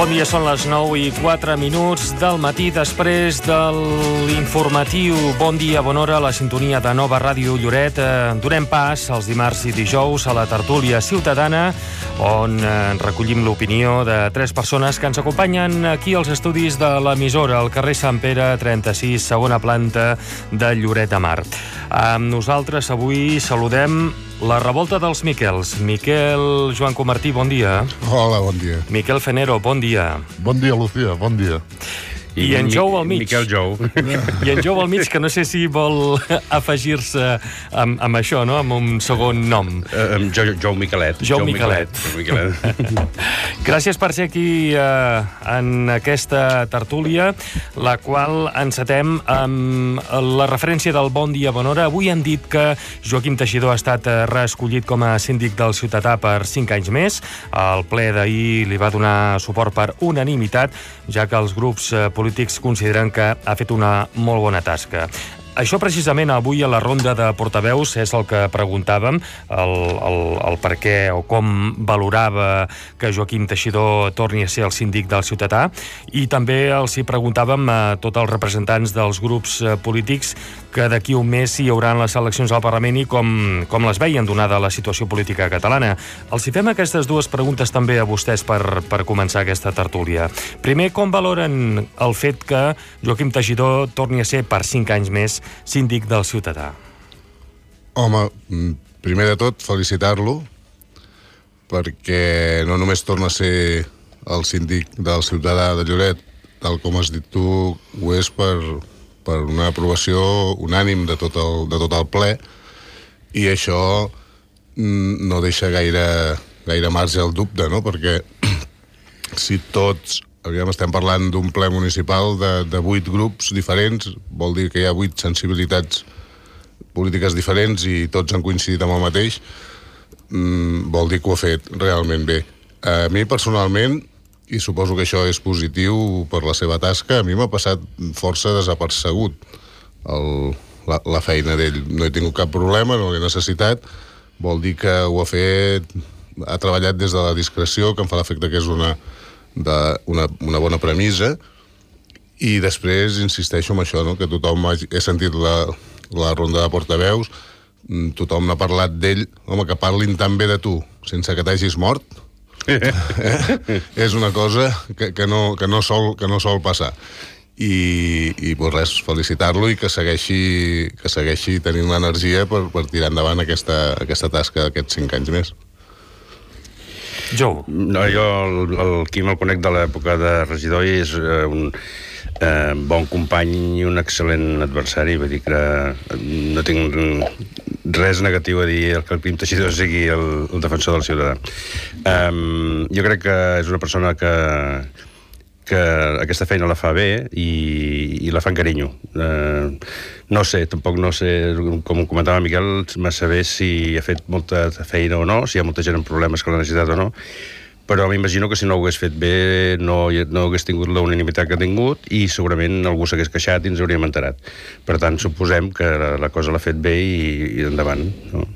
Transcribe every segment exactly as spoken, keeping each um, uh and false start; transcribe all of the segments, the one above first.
Bon dia, són les nou i quatre minuts del matí després de l'informatiu Bon dia, bona hora, a la sintonia de Nova Ràdio Lloret. Eh, donem pas els dimarts i dijous a la tertúlia ciutadana, on eh, recollim l'opinió de tres persones que ens acompanyen aquí als estudis de l'emissora, al carrer Sant Pere trenta-sis, segona planta de Lloret de Mar. Amb nosaltres avui saludem la revolta dels Miquels. Miquel Joan Comartí, bon dia. Hola, bon dia. Miquel Fenero, bon dia. Bon dia, Lucía, bon dia. I, I en Jou al mig. Miquel Jou. I en Jou al mig, que no sé si vol afegir-se amb, amb això, no? Amb un segon nom. Uh, um, Jou, Jou Miquelet. Jou Miquelet. Jou Miquelet. Gràcies per ser aquí eh, en aquesta tertúlia, la qual encetem amb la referència del Bon dia, bona hora. Avui han dit que Joaquim Teixidor ha estat reescollit com a síndic del Ciutadà per cinc anys més. El ple d'ahir li va donar suport per unanimitat, ja que els grups eh, polítics consideren que ha fet una molt bona tasca. Això precisament avui a la ronda de portaveus és el que preguntàvem, el, el, el per què o com valorava que Joaquim Teixidor torni a ser el síndic del Ciutadà, i també els hi preguntàvem a tots els representants dels grups polítics que d'aquí un mes hi haurà les eleccions al Parlament i com, com les veien donada la situació política catalana. Els hi fem aquestes dues preguntes també a vostès per, per començar aquesta tertúlia. Primer, com valoren el fet que Joaquim Teixidor torni a ser per cinc anys més síndic del Ciutadà? Home, primer de tot, felicitar-lo, perquè no només torna a ser el síndic del Ciutadà de Lloret, tal com has dit tu, ho és per, per una aprovació unànim de tot el, de tot el ple, i això no deixa gaire, gaire marge al dubte, no? Perquè si tots... Aviam, estem parlant d'un ple municipal de, de vuit grups diferents, vol dir que hi ha vuit sensibilitats polítiques diferents i tots han coincidit amb el mateix, mm, vol dir que ho ha fet realment bé. A mi personalment, i suposo que això és positiu per la seva tasca, a mi m'ha passat força desapercegut el, la, la feina d'ell. No he tingut cap problema, no l'he necessitat, vol dir que ho ha fet, ha treballat des de la discreció, que em fa l'efecte que és una... d'una una bona premissa, i després insisteixo en això, no? Que tothom ha, he sentit la, la ronda de portaveus, tothom n'ha parlat d'ell. Home, que parlin tan bé de tu sense que t'hagis mort eh? És una cosa que, que, no, que, no sol, que no sol passar, i, i pues res, felicitar-lo i que segueixi, que segueixi tenint l'energia per, per tirar endavant aquesta, aquesta tasca d'aquests cinc anys més. Jo. No, jo el, el Quim el conec de l'època de regidor i és eh, un eh, bon company i un excel·lent adversari. Vull dir que no tinc res negatiu a dir que el Quim Teixidor sigui el, el defensor del ciutadà. Um, jo crec que és una persona que que aquesta feina la fa bé i, i la fa amb carinyo. Eh, no sé, tampoc no sé, com comentava Miquel, massa bé si ha fet molta feina o no, si hi ha molta gent amb problemes que l'ha necessitat o no, però m'imagino que si no ho hagués fet bé no, no hagués tingut la unanimitat que ha tingut i segurament algú s'hagués queixat i ens hauríem enterat. Per tant, suposem que la, la cosa l'ha fet bé i, i endavant, no?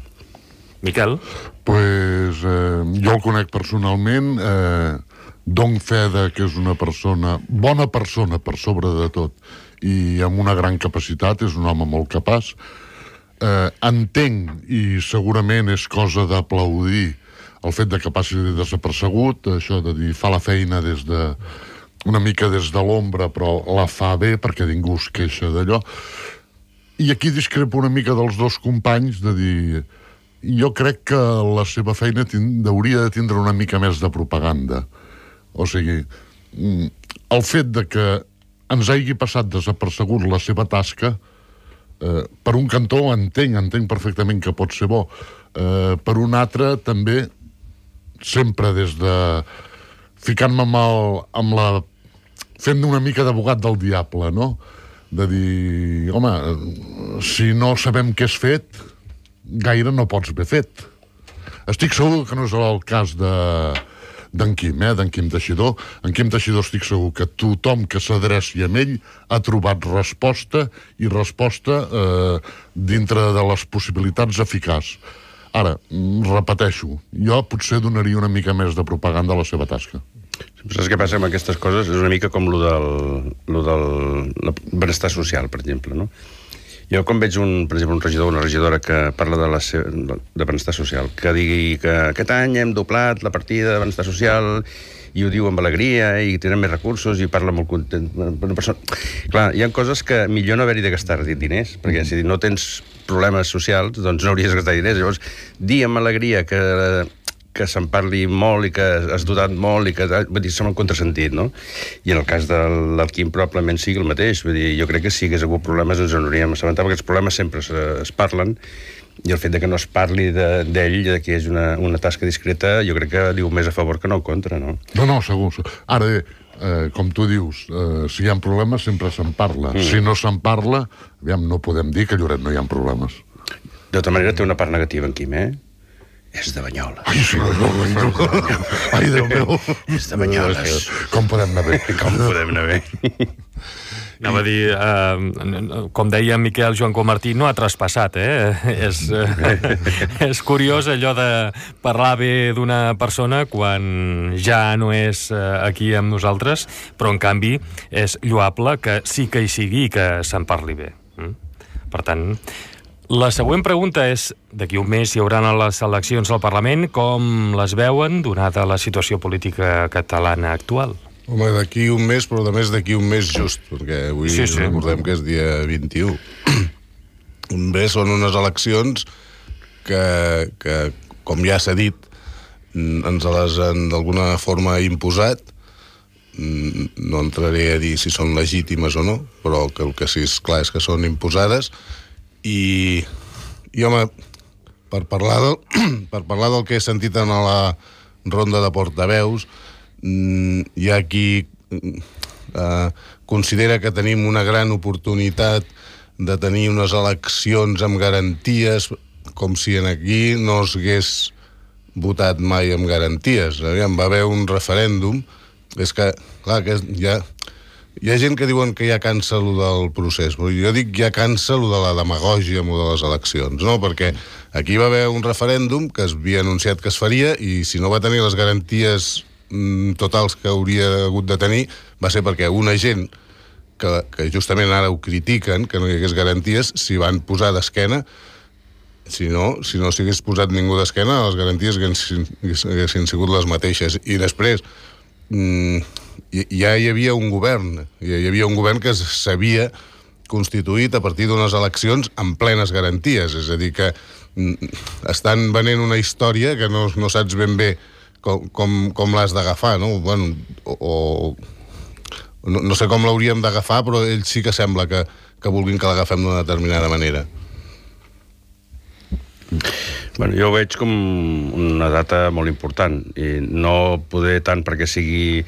Miquel? Pues eh, jo el conec personalment, eh, dono fe de que és una persona, bona persona per sobre de tot, i amb una gran capacitat, és un home molt capaç. Eh, entenc, i segurament és cosa d'aplaudir, el fet de que passi desapercegut, això de dir, fa la feina des de, una mica des de l'ombra, però la fa bé perquè ningú es queixa d'allò. I aquí discrepo una mica dels dos companys, de dir, jo crec que la seva feina tind, hauria de tindre una mica més de propaganda. O sigui, el fet de que ens hagi passat desapercegut la seva tasca, eh, per un cantó entenc, entenc perfectament que pot ser bo. Eh, per un altre, també, sempre des de... ficant-me amb, el, amb la... fent una mica d'abogat del diable, no? De dir, home, si no sabem què és fet, gaire no pots haver fet. Estic segur que no és el cas de... d'en Quim, eh, d'en Quim Teixidor. En Quim Teixidor estic segur que tothom que s'adreci a ell ha trobat resposta, i resposta eh, dintre de les possibilitats eficaç. Ara, repeteixo, jo potser donaria una mica més de propaganda a la seva tasca. Saps què passa amb aquestes coses? És una mica com lo del, lo del benestar social, per exemple, no? Jo quan veig, un, per exemple, un regidor o una regidora que parla de, la seva, de benestar social, que digui que aquest any hem doblat la partida de benestar social i ho diu amb alegria i tenen més recursos i parla molt content. Una persona... Clar, hi ha coses que millor no haver-hi de gastar diners, perquè si no tens problemes socials, doncs no hauries de gastar diners. Llavors, dir amb alegria que, que se'n parli molt i que has dotat molt i que... Vull dir, sembla un contrasentit, no? I en el cas de l'Alquim probablement sigui el mateix. Vull dir, jo crec que si hagués hagut problemes ens en hauríem assabentat, perquè els problemes sempre es, es parlen, i el fet de que no es parli d'ell, de, de que és una, una tasca discreta, jo crec que diu més a favor que no en contra, no? No, no, segur. Ara bé, eh, com tu dius, eh, si hi ha problemes sempre se'n parla. Mm. Si no se'n parla, aviam, no podem dir que a Lloret no hi ha problemes. De tota manera té una part negativa en Quim, eh? És de Banyoles. Ai, sí, no, no, no. Ai, Déu meu. És de Banyoles. Com podem anar bé? Com podem anar bé? Anava a dir, eh, com deia Miquel Joan Comartí, no ha traspassat, eh? és, eh, és curiós allò de parlar bé d'una persona quan ja no és eh, aquí amb nosaltres, però en canvi és lloable que sí que hi sigui i que se'n parli bé. Mm? Per tant, la següent pregunta és, d'aquí un mes hi haurà les eleccions al Parlament, com les veuen, donada la situació política catalana actual? Home, d'aquí un mes, però a més d'aquí un mes just, perquè avui sí, sí. recordem que és dia vint-i-u. Un mes són unes eleccions que, que com ja s'ha dit, ens les han d'alguna forma imposat. No entraré a dir si són legítimes o no, però que el que sí és clar és que són imposades. I, i home, per parlar, del, per parlar del que he sentit en la ronda de portaveus, hi ha qui eh, considera que tenim una gran oportunitat de tenir unes eleccions amb garanties, com si en aquí no s'hagués votat mai amb garanties. Aviam, va haver un referèndum, és que, clar, que hi ha, hi ha gent que diuen que ja cansa allò del procés, però jo dic ja cansa allò de la demagògia amb allò de les eleccions, no? Perquè aquí va haver un referèndum que es havia anunciat que es faria i si no va tenir les garanties totals que hauria hagut de tenir va ser perquè una gent que, que justament ara ho critiquen, que no hi hagués garanties, s'hi van posar d'esquena. Si no, si no s'hi hagués posat ningú d'esquena, les garanties haguessin, haguessin sigut les mateixes. I després mmm, ja hi havia un govern, hi havia un govern que s'havia constituït a partir d'unes eleccions amb plenes garanties, és a dir que mm, estan venent una història que no, no saps ben bé com, com, com l'has d'agafar, no? Bueno, o, o no, no sé com l'hauríem d'agafar, però ells sí que sembla que, que vulguin que l'agafem d'una determinada manera. Bueno, jo ho veig com una data molt important i no poder tant perquè sigui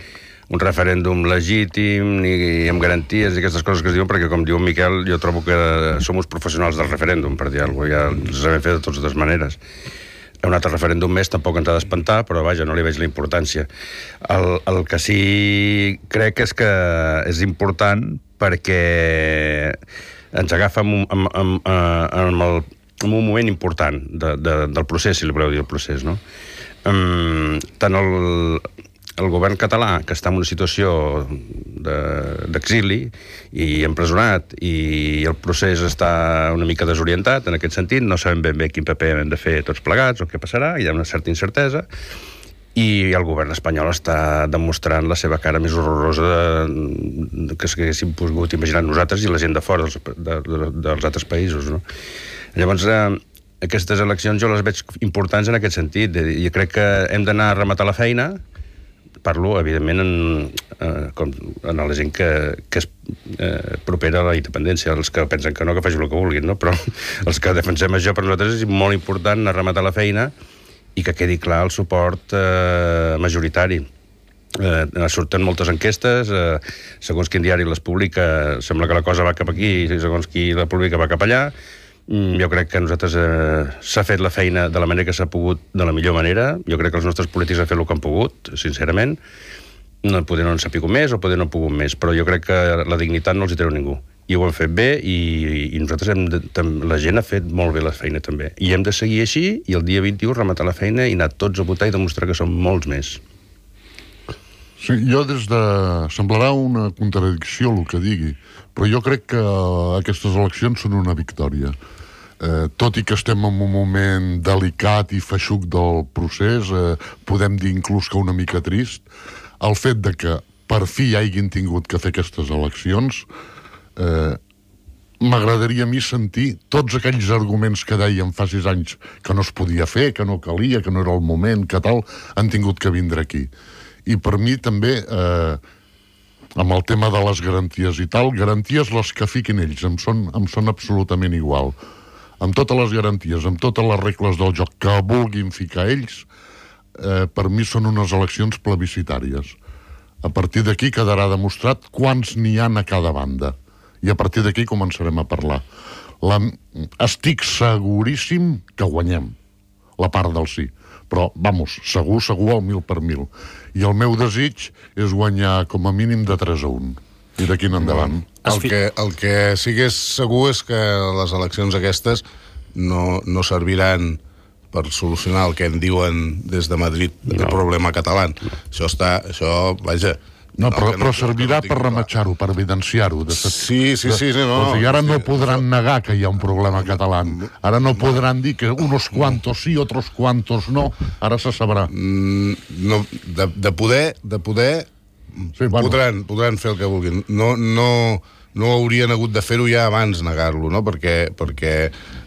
un referèndum legítim ni amb garanties i aquestes coses que es diuen, perquè com diu Miquel, jo trobo que som uns professionals del referèndum, per dir alguna cosa, ja els hem fet de totes maneres. Un altre referèndum més tampoc ens ha d'espantar, però vaja, no li veig la importància. El, el que sí crec és que és important perquè ens agafa amb, amb, amb, amb, el, amb un moment important de, de, del procés, si li voleu dir el procés, no? Um, tant el, el govern català, que està en una situació d'exili i empresonat, i el procés està una mica desorientat en aquest sentit, no sabem ben bé quin paper hem de fer tots plegats o què passarà, hi ha una certa incertesa, i el govern espanyol està demostrant la seva cara més horrorosa de, que s'haguéssim pogut imaginar nosaltres i la gent de fora dels, de, de, dels altres països, no? Llavors, eh, aquestes eleccions jo les veig importants en aquest sentit. Jo crec que hem d'anar a rematar la feina. Parlo, evidentment, en, eh, com, en la gent que, que és eh, propera a la independència, els que pensen que no, que facin el que vulguin, no? Però els que defensem això per nosaltres és molt important anar a rematar la feina i que quedi clar el suport eh, majoritari. Eh, surten moltes enquestes, eh, segons quin diari les publica, sembla que la cosa va cap aquí, i segons qui la publica va cap allà. Jo crec que nosaltres eh, s'ha fet la feina de la manera que s'ha pogut, de la millor manera. Jo crec que els nostres polítics han fet el que han pogut, sincerament. No, poder no en sapigut més o poder no han pogut més, però jo crec que la dignitat no els hi treu ningú. I ho han fet bé i, i nosaltres hem de, la gent ha fet molt bé la feina també. I hem de seguir així i el dia vint-i-u rematar la feina i anar tots a votar i demostrar que som molts més. Sí, jo des de... Semblarà una contradicció el que digui, però jo crec que aquestes eleccions són una victòria. Eh, tot i que estem en un moment delicat i feixuc del procés, eh, podem dir inclús que una mica trist, el fet de que per fi hagin tingut que fer aquestes eleccions, eh, m'agradaria a mi sentir tots aquells arguments que deien fa sis anys que no es podia fer, que no calia, que no era el moment, que tal, han tingut que vindre aquí. I per mi també, eh, amb el tema de les garanties i tal, garanties les que fiquin ells, em són, em són absolutament igual. Amb totes les garanties, amb totes les regles del joc que vulguin ficar ells, eh, per mi són unes eleccions plebiscitàries. A partir d'aquí quedarà demostrat quants n'hi ha a cada banda. I a partir d'aquí començarem a parlar. La... Estic seguríssim que guanyem la part del sí. Però, vamos, segur, segur al mil per mil. I el meu desig és guanyar com a mínim de tres a un. I d'aquí en endavant. El que, el que sí que és segur és que les eleccions aquestes no, no serviran per solucionar el que en diuen des de Madrid no. el problema català. Això està... Això, vaja... No, però, no, però servirà no per rematxar-ho, per evidenciar-ho. Sí, sí, sí, sí, no. O sigui, ara no podran negar que hi ha un problema català. Ara no podran dir que unos cuantos sí, otros cuantos no. Ara se sabrà. No, de, de poder, de poder sí, bueno. podran, podran fer el que vulguin. No, no, no haurien hagut de fer-ho ja abans negar-lo, no? Perquè, perquè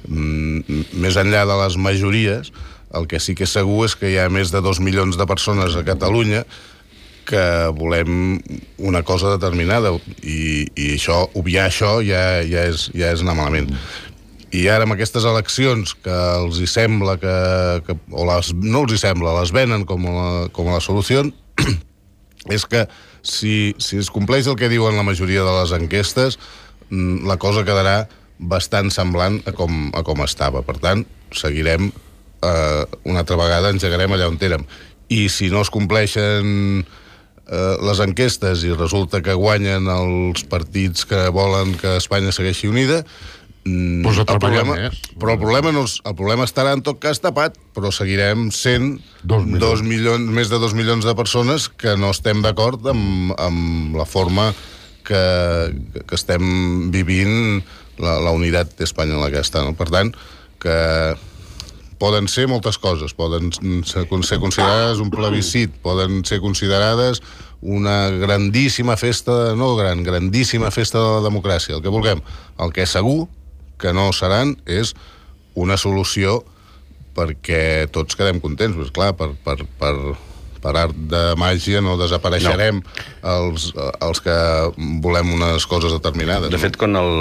mm, més enllà de les majories, el que sí que és segur és que hi ha més de dos milions de persones a Catalunya que volem una cosa determinada i, i això, obviar això ja, ja, és, ja és anar malament. I ara amb aquestes eleccions que els hi sembla que, que o les, no els hi sembla, les venen com a, com a la solució, és que si, si es compleix el que diuen la majoria de les enquestes, la cosa quedarà bastant semblant a com, a com estava. Per tant, seguirem eh, una altra vegada, engegarem allà on érem. I si no es compleixen les enquestes i resulta que guanyen els partits que volen que Espanya segueixi unida, pues el problema, més. Però el problema, no, el problema estarà en tot cas tapat, però seguirem sent dos milions. Dos milions, més de dos milions de persones que no estem d'acord amb, amb la forma que, que estem vivint la, la unitat espanyola aquesta. No? Per tant, que poden ser moltes coses, poden ser considerades un plebiscit, poden ser considerades una grandíssima festa, no gran, grandíssima festa de la democràcia, el que vulguem. El que segur que no seran és una solució perquè tots quedem contents, pues clar, per, per, per, per art de màgia no desapareixerem no. Els, els que volem unes coses determinades. De fet, quan el,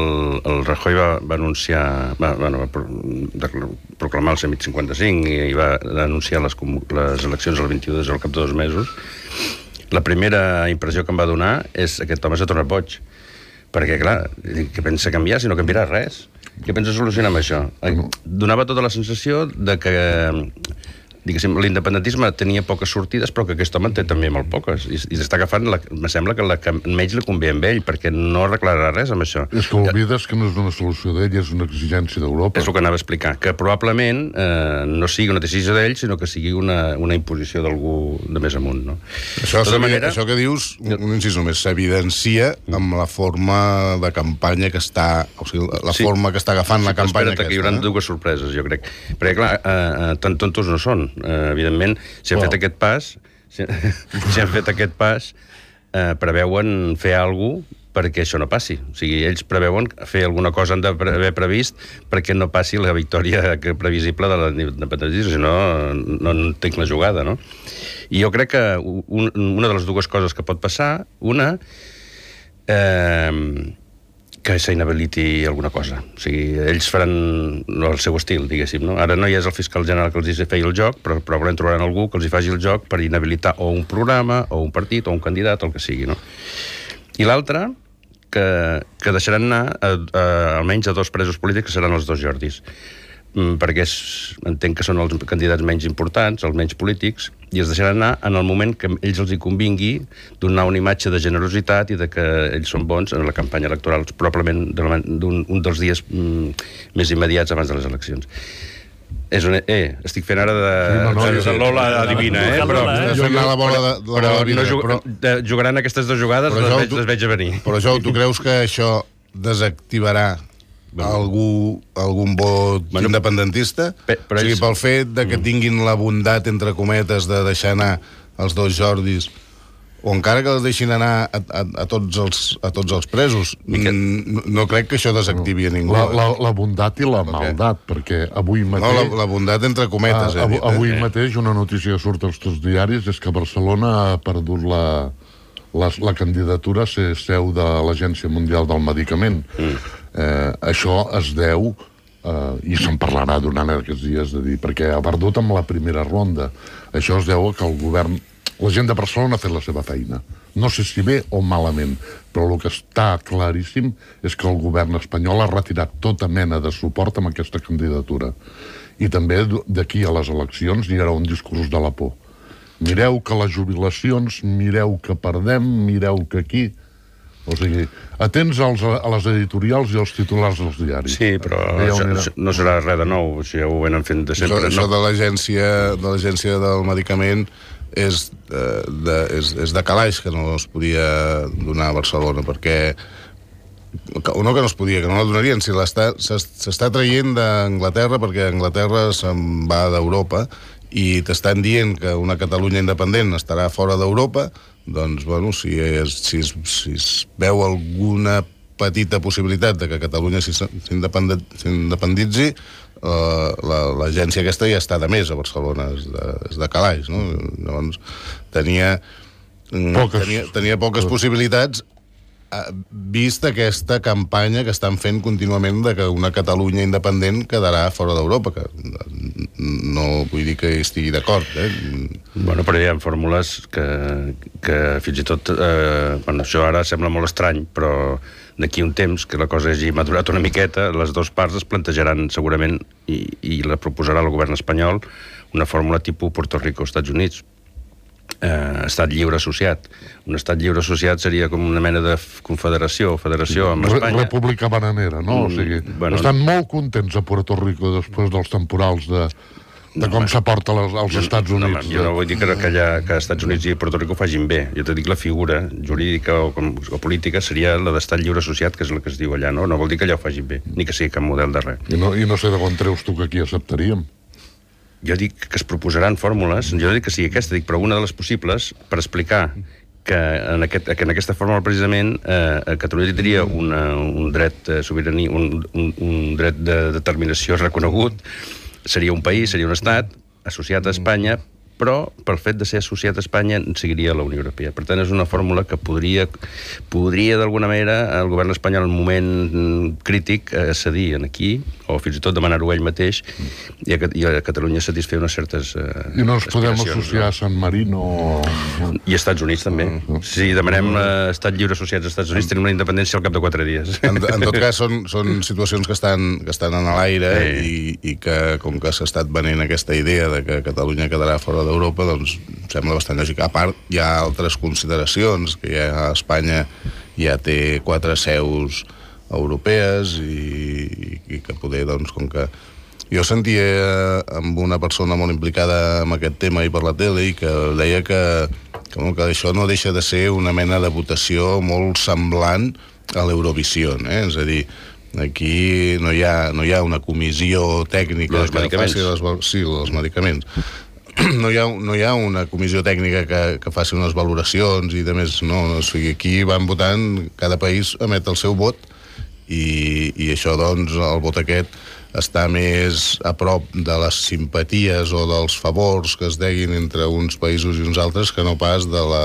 el Rajoy va, va anunciar, va, bueno, va pro, proclamar el cent cinquanta-cinc i va anunciar les, les eleccions el vint-i-u de al cap de dos mesos, la primera impressió que em va donar és que aquest home s'ha tornat boig. Perquè, clar, què pensa canviar si no canviarà res? Què pensa solucionar amb això? Donava tota la sensació de que, diguéssim, l'independentisme tenia poques sortides, però que aquest home té també molt poques. I, i s'està agafant, la, me sembla que la que menys li convé amb ell, perquè no arreglarà res amb això. És que oblides que no és una solució d'ell, és una exigència d'Europa. És el que anava a explicar, que probablement eh, no sigui una decisió d'ell, sinó que sigui una, una imposició d'algú de més amunt, no? Això, manera, això que dius, un incís només, s'evidencia amb la forma de campanya que està, o sigui, la sí, forma que està agafant sí, la campanya aquesta. Que hi haurà eh? dues sorpreses, jo crec. Perquè, clar, eh, tan tontos no són. Uh, evidentment, si han wow. fet aquest pas si, si han fet aquest pas uh, preveuen fer alguna cosa perquè això no passi. O sigui, ells preveuen fer alguna cosa, han d'haver previst perquè no passi la victòria previsible de l'independentisme, si no, no entenc la jugada, no? I jo crec que un, una de les dues coses que pot passar, una, eh, que s'inhabiliti alguna cosa. O sigui, ells faran el seu estil, diguéssim, no? Ara no hi és el fiscal general que els hi feia el joc, però probablement trobaran algú que els hi faci el joc per inhabilitar o un programa, o un partit, o un candidat, o el que sigui, no? I l'altre, que, que deixaran anar a, a, almenys a dos presos polítics, que seran els dos Jordis. Perquè és, entenc que són els candidats menys importants, els menys polítics, i es deixaran anar en el moment que ells els hi convingui donar una imatge de generositat i de que ells són bons en la campanya electoral, probablement d'un un dels dies mm, més immediats abans de les eleccions. És un... Eh, estic fent ara de... Sí, no, no, de, de Lola adivina, eh? Però, Estàs fent anar la bola de, de però la vida, no jug... però, de, jugaran aquestes dues jugades, les veig, tu, les veig a venir. però Jo, tu creus que això desactivarà algú, algun vot Bueno, independentista? pe- però o sigui, ells- pel fet de que tinguin la bondat, entre cometes, de deixar anar els dos Jordis, o encara que els deixin anar a, a, a, tots, els, a tots els presos, Mica... no, no crec que això desactivi a ningú. La, la, la bondat i la maldat, perquè avui mateix... No, la, la bondat entre cometes, Ah, he dit. avui, avui eh? mateix una notícia que surt als tots diaris és que Barcelona ha perdut la, la, la candidatura a ser seu de l'Agència Mundial del Medicament. Mm. Eh, això es deu, eh, i se'n parlarà durant aquests dies, de dir, perquè ha perdut amb la primera ronda. Això es deu a que el govern... La gent de Barcelona ha fet la seva feina. No sé si bé o malament, però el que està claríssim és que el govern espanyol ha retirat tota mena de suport amb aquesta candidatura. I també d'aquí a les eleccions hi haurà un discurs de la por. Mireu que les jubilacions, mireu que perdem, mireu que aquí... O sigui, atents als, a les editorials i als titulars dels diaris. Sí, però això, això no serà res de nou, això ja ho venen fent de sempre. Això, això no. de l'agència de l'agència del medicament és, eh, de, és, és de calaix que no es podia donar a Barcelona, perquè o no que no es podia, que no la donarien, si s'està traient d'Anglaterra, perquè Anglaterra se'n va d'Europa i t'estan dient que una Catalunya independent estarà fora d'Europa, doncs, bueno, si es, si, es, si es veu alguna petita possibilitat de que Catalunya s'independitzi, uh, l'agència aquesta ja està de més a Barcelona, és de, és de calaix, no? Llavors, tenia poques, tenia, tenia poques possibilitats, vist aquesta campanya que estan fent contínuament de que una Catalunya independent quedarà fora d'Europa, que no vull dir que estigui d'acord, eh? Bueno, però hi ha fórmules que, que fins i tot... Eh, bueno, això ara sembla molt estrany, però d'aquí un temps, que la cosa hagi madurat una miqueta, les dues parts es plantejaran segurament, i, i la proposarà el govern espanyol, una fórmula tipus Puerto Rico, Estats Units, eh, estat lliure associat. Un estat lliure associat seria com una mena de confederació, federació amb Espanya. República bananera, no? O sigui, bueno, estan molt contents a Puerto Rico després dels temporals de, de com no, s'aporta als Estats Units. No, jo no vull dir que, que, allà, que Estats Units i Puerto Rico facin bé. Jo te dic la figura jurídica o, o política seria la d'estat lliure associat, que és la que es diu allà, no? No vol dir que allà ho facin bé, ni que sigui cap model de res. I no, i no sé de on treus tu que aquí acceptaríem. Jo dic que es proposaran fórmules, jo no dic que sigui aquesta, dic, però una de les possibles per explicar que en, aquest, que en aquesta fórmula precisament eh, Catalunya tindria una, un dret de sobirania, un, un, un dret de determinació reconegut, seria un país, seria un estat associat a Espanya, però pel fet de ser associat a Espanya seguiria la Unió Europea. Per tant, és una fórmula que podria, podria d'alguna manera, el govern espanyol en un moment crític eh, cedir aquí, o fins i tot demanar-ho ell mateix, i a, i a Catalunya satisfer unes certes eh, I no ens podem associar no? a San Marino... I a Estats Units també. Uh, uh, si demanem uh, estat lliure associats als Estats Units, tenim una independència al cap de quatre dies. En, en tot cas, són, són situacions que estan, que estan en l'aire sí. i, i que, com que s'ha estat venent aquesta idea de que Catalunya quedarà fora d'Europa, doncs sembla bastant lògic. A part, hi ha altres consideracions, que ja Espanya ja té quatre seus europees i, i que poder, doncs, com que... Jo sentia amb una persona molt implicada en aquest tema i per la tele i que deia que, que, que això no deixa de ser una mena de votació molt semblant a l'Eurovisió, eh? És a dir, aquí no hi ha, no hi ha una comissió tècnica dels medicaments. Que faci les, sí, els medicaments. No hi ha, no hi ha una comissió tècnica que, que faci unes valoracions i de més, no, o sigui, aquí van votant, cada país emet el seu vot i, i això, doncs, el vot aquest està més a prop de les simpaties o dels favors que es deguin entre uns països i uns altres que no pas de la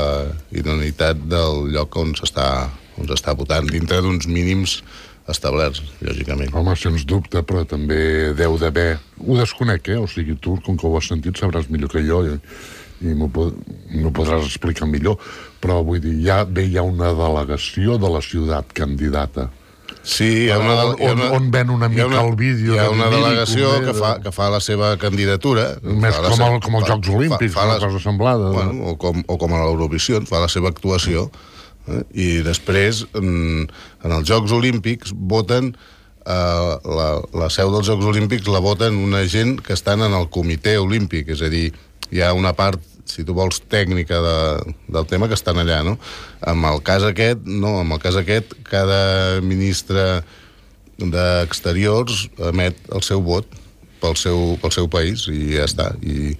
idoneïtat del lloc on s'està on s'està votant, dintre d'uns mínims establerts, lògicament. Home, sens dubte, però també deu d'haver... Ho desconec, eh? O sigui, tu, com que ho has sentit, sabràs millor que jo i, i m'ho podràs explicar millor, però vull dir, ja bé hi ha una delegació de la ciutat candidata. Sí, hi ha una, on, on, on ven una mica una, el vídeo. Hi ha una delegació que fa, que fa la seva candidatura. Més com, el, com els Jocs Olímpics, fa, fa una cosa semblada. Bueno, o, com, o com a l'Eurovisió, fa la seva actuació. Eh? I després, en, en els Jocs Olímpics, voten eh, la, la seu dels Jocs Olímpics la voten una gent que estan en el comitè olímpic, és a dir, hi ha una part, si tu vols, tècnica de, del tema que estan allà, no? En el cas aquest, no, en el cas aquest, cada ministre d'Exteriors emet el seu vot pel seu, pel seu país i ja està, i,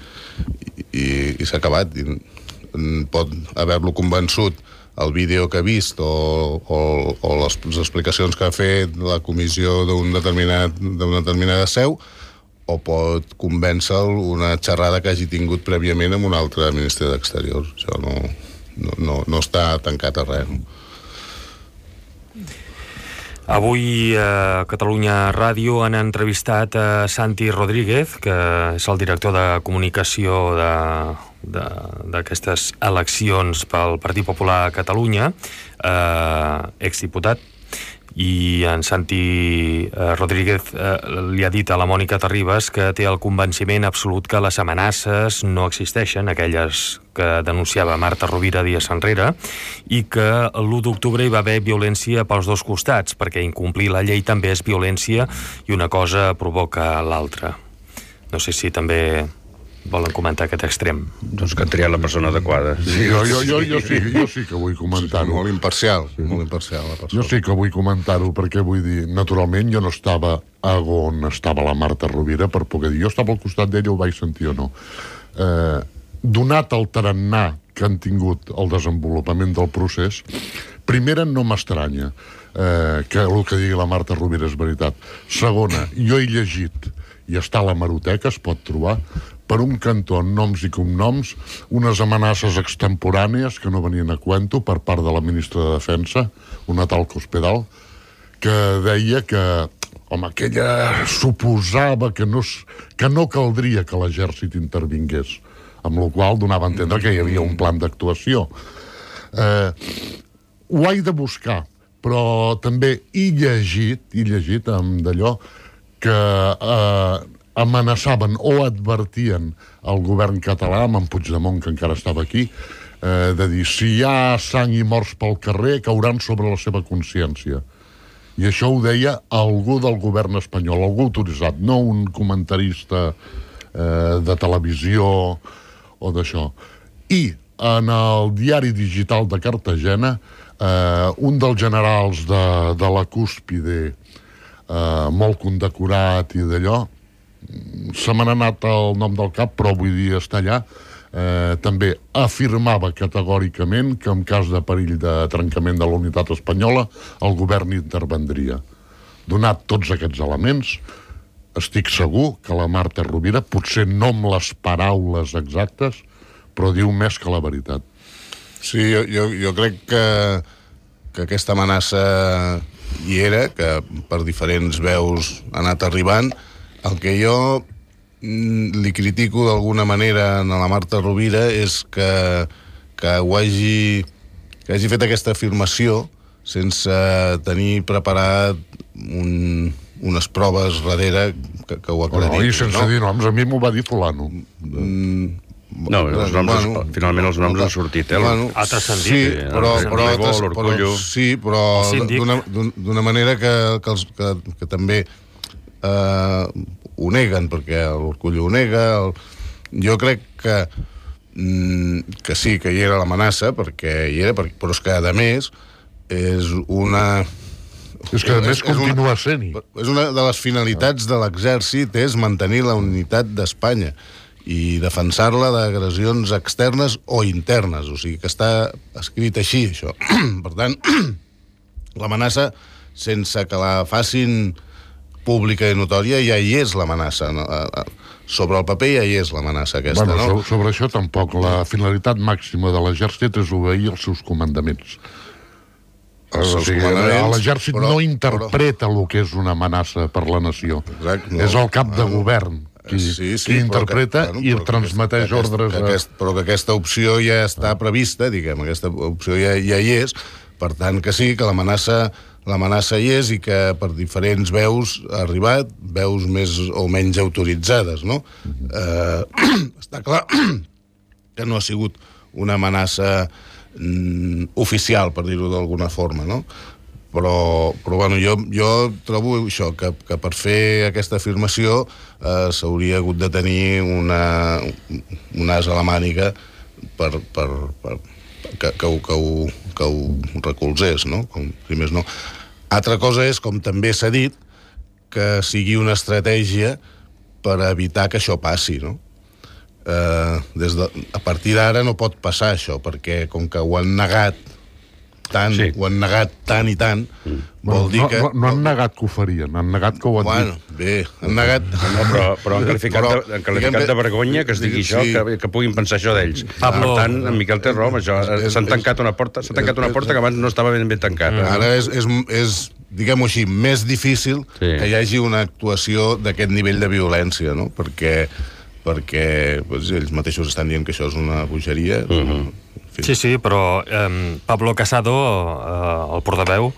i, i s'ha acabat. I pot haver-lo convençut el vídeo que ha vist o, o, o les, les explicacions que ha fet la comissió d'un determinat, d'una determinada seu, o pot convèncer-lo una xerrada que hagi tingut prèviament amb un altre ministre d'Exteriors. Això no, no, no, no està tancat a res. Avui a Catalunya Ràdio han entrevistat a Santi Rodríguez, que és el director de comunicació d'aquestes eleccions pel Partit Popular a Catalunya, eh, exdiputat, i en Santi eh, Rodríguez eh, li ha dit a la Mònica Terribas que té el convenciment absolut que les amenaces no existeixen, aquelles que denunciava Marta Rovira dies enrere, i que l'u d'octubre hi va haver violència pels dos costats, perquè incomplir la llei també és violència i una cosa provoca l'altra. No sé si també volen comentar aquest extrem. Doncs que han triat la persona adequada. Sí, jo, jo, jo, jo, sí, jo sí que vull comentar-ho. Molt imparcial, sí. molt imparcial la persona. Jo sí que vull comentar-ho, perquè vull dir, naturalment jo no estava on estava la Marta Rovira per poder dir, jo estava al costat d'ella, ho vaig sentir o no. Eh, donat el tarannà que han tingut el desenvolupament del procés, primera, no m'estranya eh, que el que digui la Marta Rovira és veritat. Segona, jo he llegit, i està a la hemeroteca, es pot trobar, per un cantó, en noms i cognoms, unes amenaces extemporànies que no venien a cuento per part de la ministra de Defensa, una tal Cospedal, que deia que, home, que ella suposava que no, que no caldria que l'exèrcit intervingués, amb la qual donava a entendre que hi havia un plan d'actuació. Eh, ho he de buscar, però també he llegit, he llegit amb d'allò que eh, amenaçaven o advertien el govern català, amb en Puigdemont, que encara estava aquí, eh, de dir, si hi ha sang i morts pel carrer, cauran sobre la seva consciència. I això ho deia algú del govern espanyol, algú autoritzat, no un comentarista eh, de televisió o d'això. I en el diari digital de Cartagena, eh, un dels generals de, de la Cúspide, eh, molt condecorat i d'allò, se m'ha anat el nom del cap, però vull dir està allà, eh, també afirmava categòricament que en cas de perill de trencament de la unitat espanyola el govern intervendria. Donat tots aquests elements, estic segur que la Marta Rovira, potser no amb les paraules exactes, però diu més que la veritat. Sí, jo, jo, jo crec que, que aquesta amenaça hi era, que per diferents veus ha anat arribant. El que jo li critico d'alguna manera a la Marta Rovira és que, que ho hagi, que hagi fet aquesta afirmació sense tenir preparat un, unes proves darrere que, que ho aclarit. No, i sense no? dir noms, a mi m'ho va dir fulano. Mm, no, els noms, bueno, finalment els noms han sortit, eh? Bueno, ha transcendit. Sí, però, però, però, però, sí, però d'una manera que, que, els, que, que també eh, ho neguen, perquè l'Orcullo ho nega. El... Jo crec que mm, que sí, que hi era l'amenaça, perquè hi era, però és que, a més, és una... És que, a més, continua sent-hi. És una de les finalitats de l'exèrcit, és mantenir la unitat d'Espanya i defensar-la d'agressions externes o internes. O sigui, que està escrit així, això. Per tant, l'amenaça, sense que la facin pública i notòria, ja hi és l'amenaça. Sobre el paper ja hi és l'amenaça aquesta, bueno, no? Sobre, sobre això tampoc. La finalitat màxima de l'exèrcit és obeir els seus comandaments. O sigui, l'exèrcit però, no interpreta però... el que és una amenaça per la nació. Exacte, no. És el cap de govern qui, sí, sí, qui interpreta que, bueno, i transmeteix que, ordres que, a... aquest, però que aquesta opció ja està prevista, diguem, aquesta opció ja, ja hi és, per tant que sí, que l'amenaça l'amenaça hi és i que per diferents veus ha arribat, veus més o menys autoritzades, no? Mm-hmm. eh, està clar que no ha sigut una amenaça mm, oficial, per dir-ho d'alguna forma, no? Però, però bueno, jo, jo trobo això, que, que per fer aquesta afirmació eh, s'hauria hagut de tenir una, un as a la màniga per, per, per, que, que, ho, que, ho, que ho recolzés, no? Com, si més no. Altra cosa és, com també s'ha dit, que sigui una estratègia per evitar que això passi, no? Eh, des de, a partir d'ara no pot passar això, perquè com que ho han negat tant, sí. ho han negat tant i tant, mm. vol bueno, dir no, que... No, no han negat que ho farien, han negat que ho han bueno, dit. Bé, han negat... No, però, però han qualificat, però, de, han qualificat de vergonya que es digui sí. això, que, que puguin pensar això d'ells. Pablo... Per tant, en Miquel té raó, això, s'han tancat una porta, s'ha tancat una porta que abans no estava ben ben tancada. Mm. Ara és, és, és diguem-ho així, més difícil sí. que hi hagi una actuació d'aquest nivell de violència, no? Perquè, perquè doncs, ells mateixos estan dient que això és una bogeria. Mm-hmm. Sí, sí, però eh, Pablo Casado, eh, el portaveu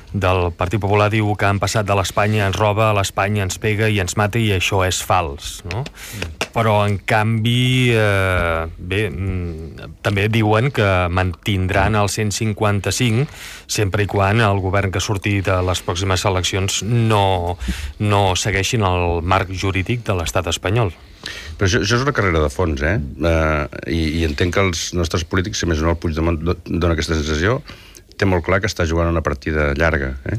del Partit Popular, diu que han passat de l'Espanya ens roba a l'Espanya ens pega i ens mata, i això és fals, no? Mm. Però, en canvi, eh, bé, mm, també diuen que mantindran el cent cinquanta-cinc sempre i quan el govern que surti de les pròximes eleccions no, no segueixin el marc jurídic de l'estat espanyol. Però això, això és una carrera de fons, eh? Uh, i, i entenc que els nostres polítics, si més no el Puigdemont dona aquesta sensació, té molt clar que està jugant una partida llarga, eh?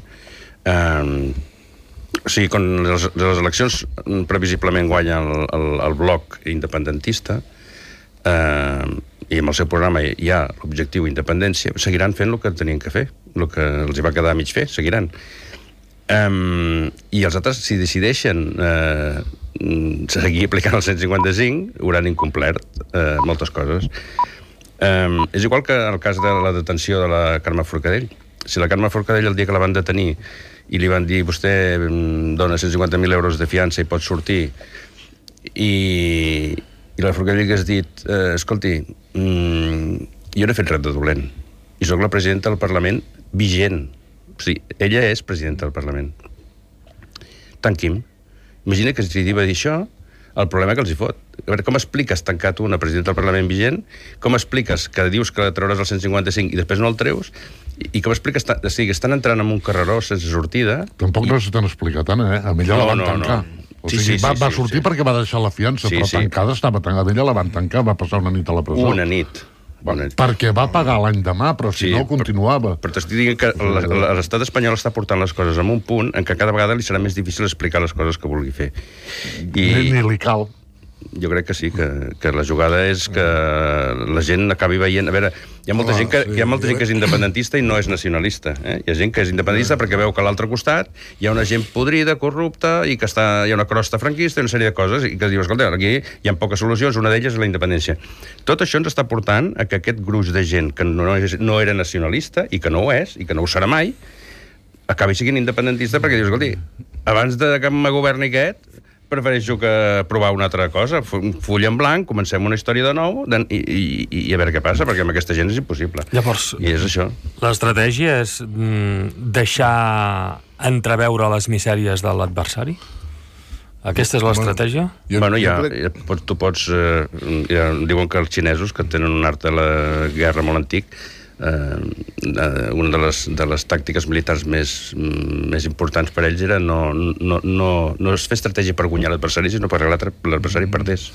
Uh, o sigui, quan les, les eleccions previsiblement guanya el, el, el bloc independentista, uh, i amb el seu programa hi ha l'objectiu independència, seguiran fent el que tenien que fer, el que els hi va quedar a mig fer, seguiran. Um, I els altres, si decideixen uh, seguir aplicant el cent cinquanta-cinc, hauran incomplert uh, moltes coses. Um, és igual que el cas de la detenció de la Carme Forcadell. Si la Carme Forcadell, el dia que la van detenir i li van dir vostè dona cent cinquanta mil euros de fiança i pot sortir, i, i la Forcadell hagués dit eh, escolti, mm, jo no he fet res de dolent i sóc la presidenta del Parlament vigent. O sigui, ella és presidenta del Parlament. Tanquim. Imagina que si va dir això, el problema que els hi fot. A veure, com expliques tancar tu una presidenta del Parlament vigent? Com expliques que dius que treuràs el cent cinquanta-cinc i després no el treus? I, i com expliques... O sigui, estan entrant en un carreró sense sortida... Tampoc i... necessiten explicar tant, eh? A ella no, la van no, tancar. No. O sigui, sí, sí, va, va sí, sortir sí. perquè va deixar la fiança, sí, però sí. tancada estava tancada. A ella la van tancar, va passar una nit a la presó. Una nit. Bona. Perquè va pagar l'any demà, però si sí, no continuava. Però, però t'estic dient que l'estat espanyol està portant les coses en un punt en què cada vegada li serà més difícil explicar les coses que vulgui fer. I... Ni, ni li cal. Jo crec que sí, que, que la jugada és que la gent acabi veient... A veure, hi ha molta, oh, gent, que, sí, hi ha molta gent que és independentista i no és nacionalista. Eh? Hi ha gent que és independentista perquè veu que a l'altre costat hi ha una gent podrida, corrupta, i que està, hi ha una crosta franquista i una sèrie de coses, i que dius, escolta, aquí hi ha poques solucions, una d'elles és la independència. Tot això ens està portant a que aquest gruix de gent que no, és, no era nacionalista, i que no ho és, i que no ho serà mai, acabi sent independentista perquè dius, escolti, abans de que me governi aquest, prefereixo que provar una altra cosa, full en blanc, comencem una història de nou i, i, i a veure què passa, perquè amb aquesta gent és impossible. Llavors, i és això. L'estratègia és mm, deixar entreveure les misèries de l'adversari? Aquesta és l'estratègia? Bueno, bueno ja, ja pots, tu pots... Eh, ja diuen que els xinesos, que tenen un art de la guerra molt antic, eh, una de les, de les tàctiques militars més, més importants per ells era no, no, no, no es fer estratègia per guanyar l'adversari, sinó per arreglar l'adversari perdés.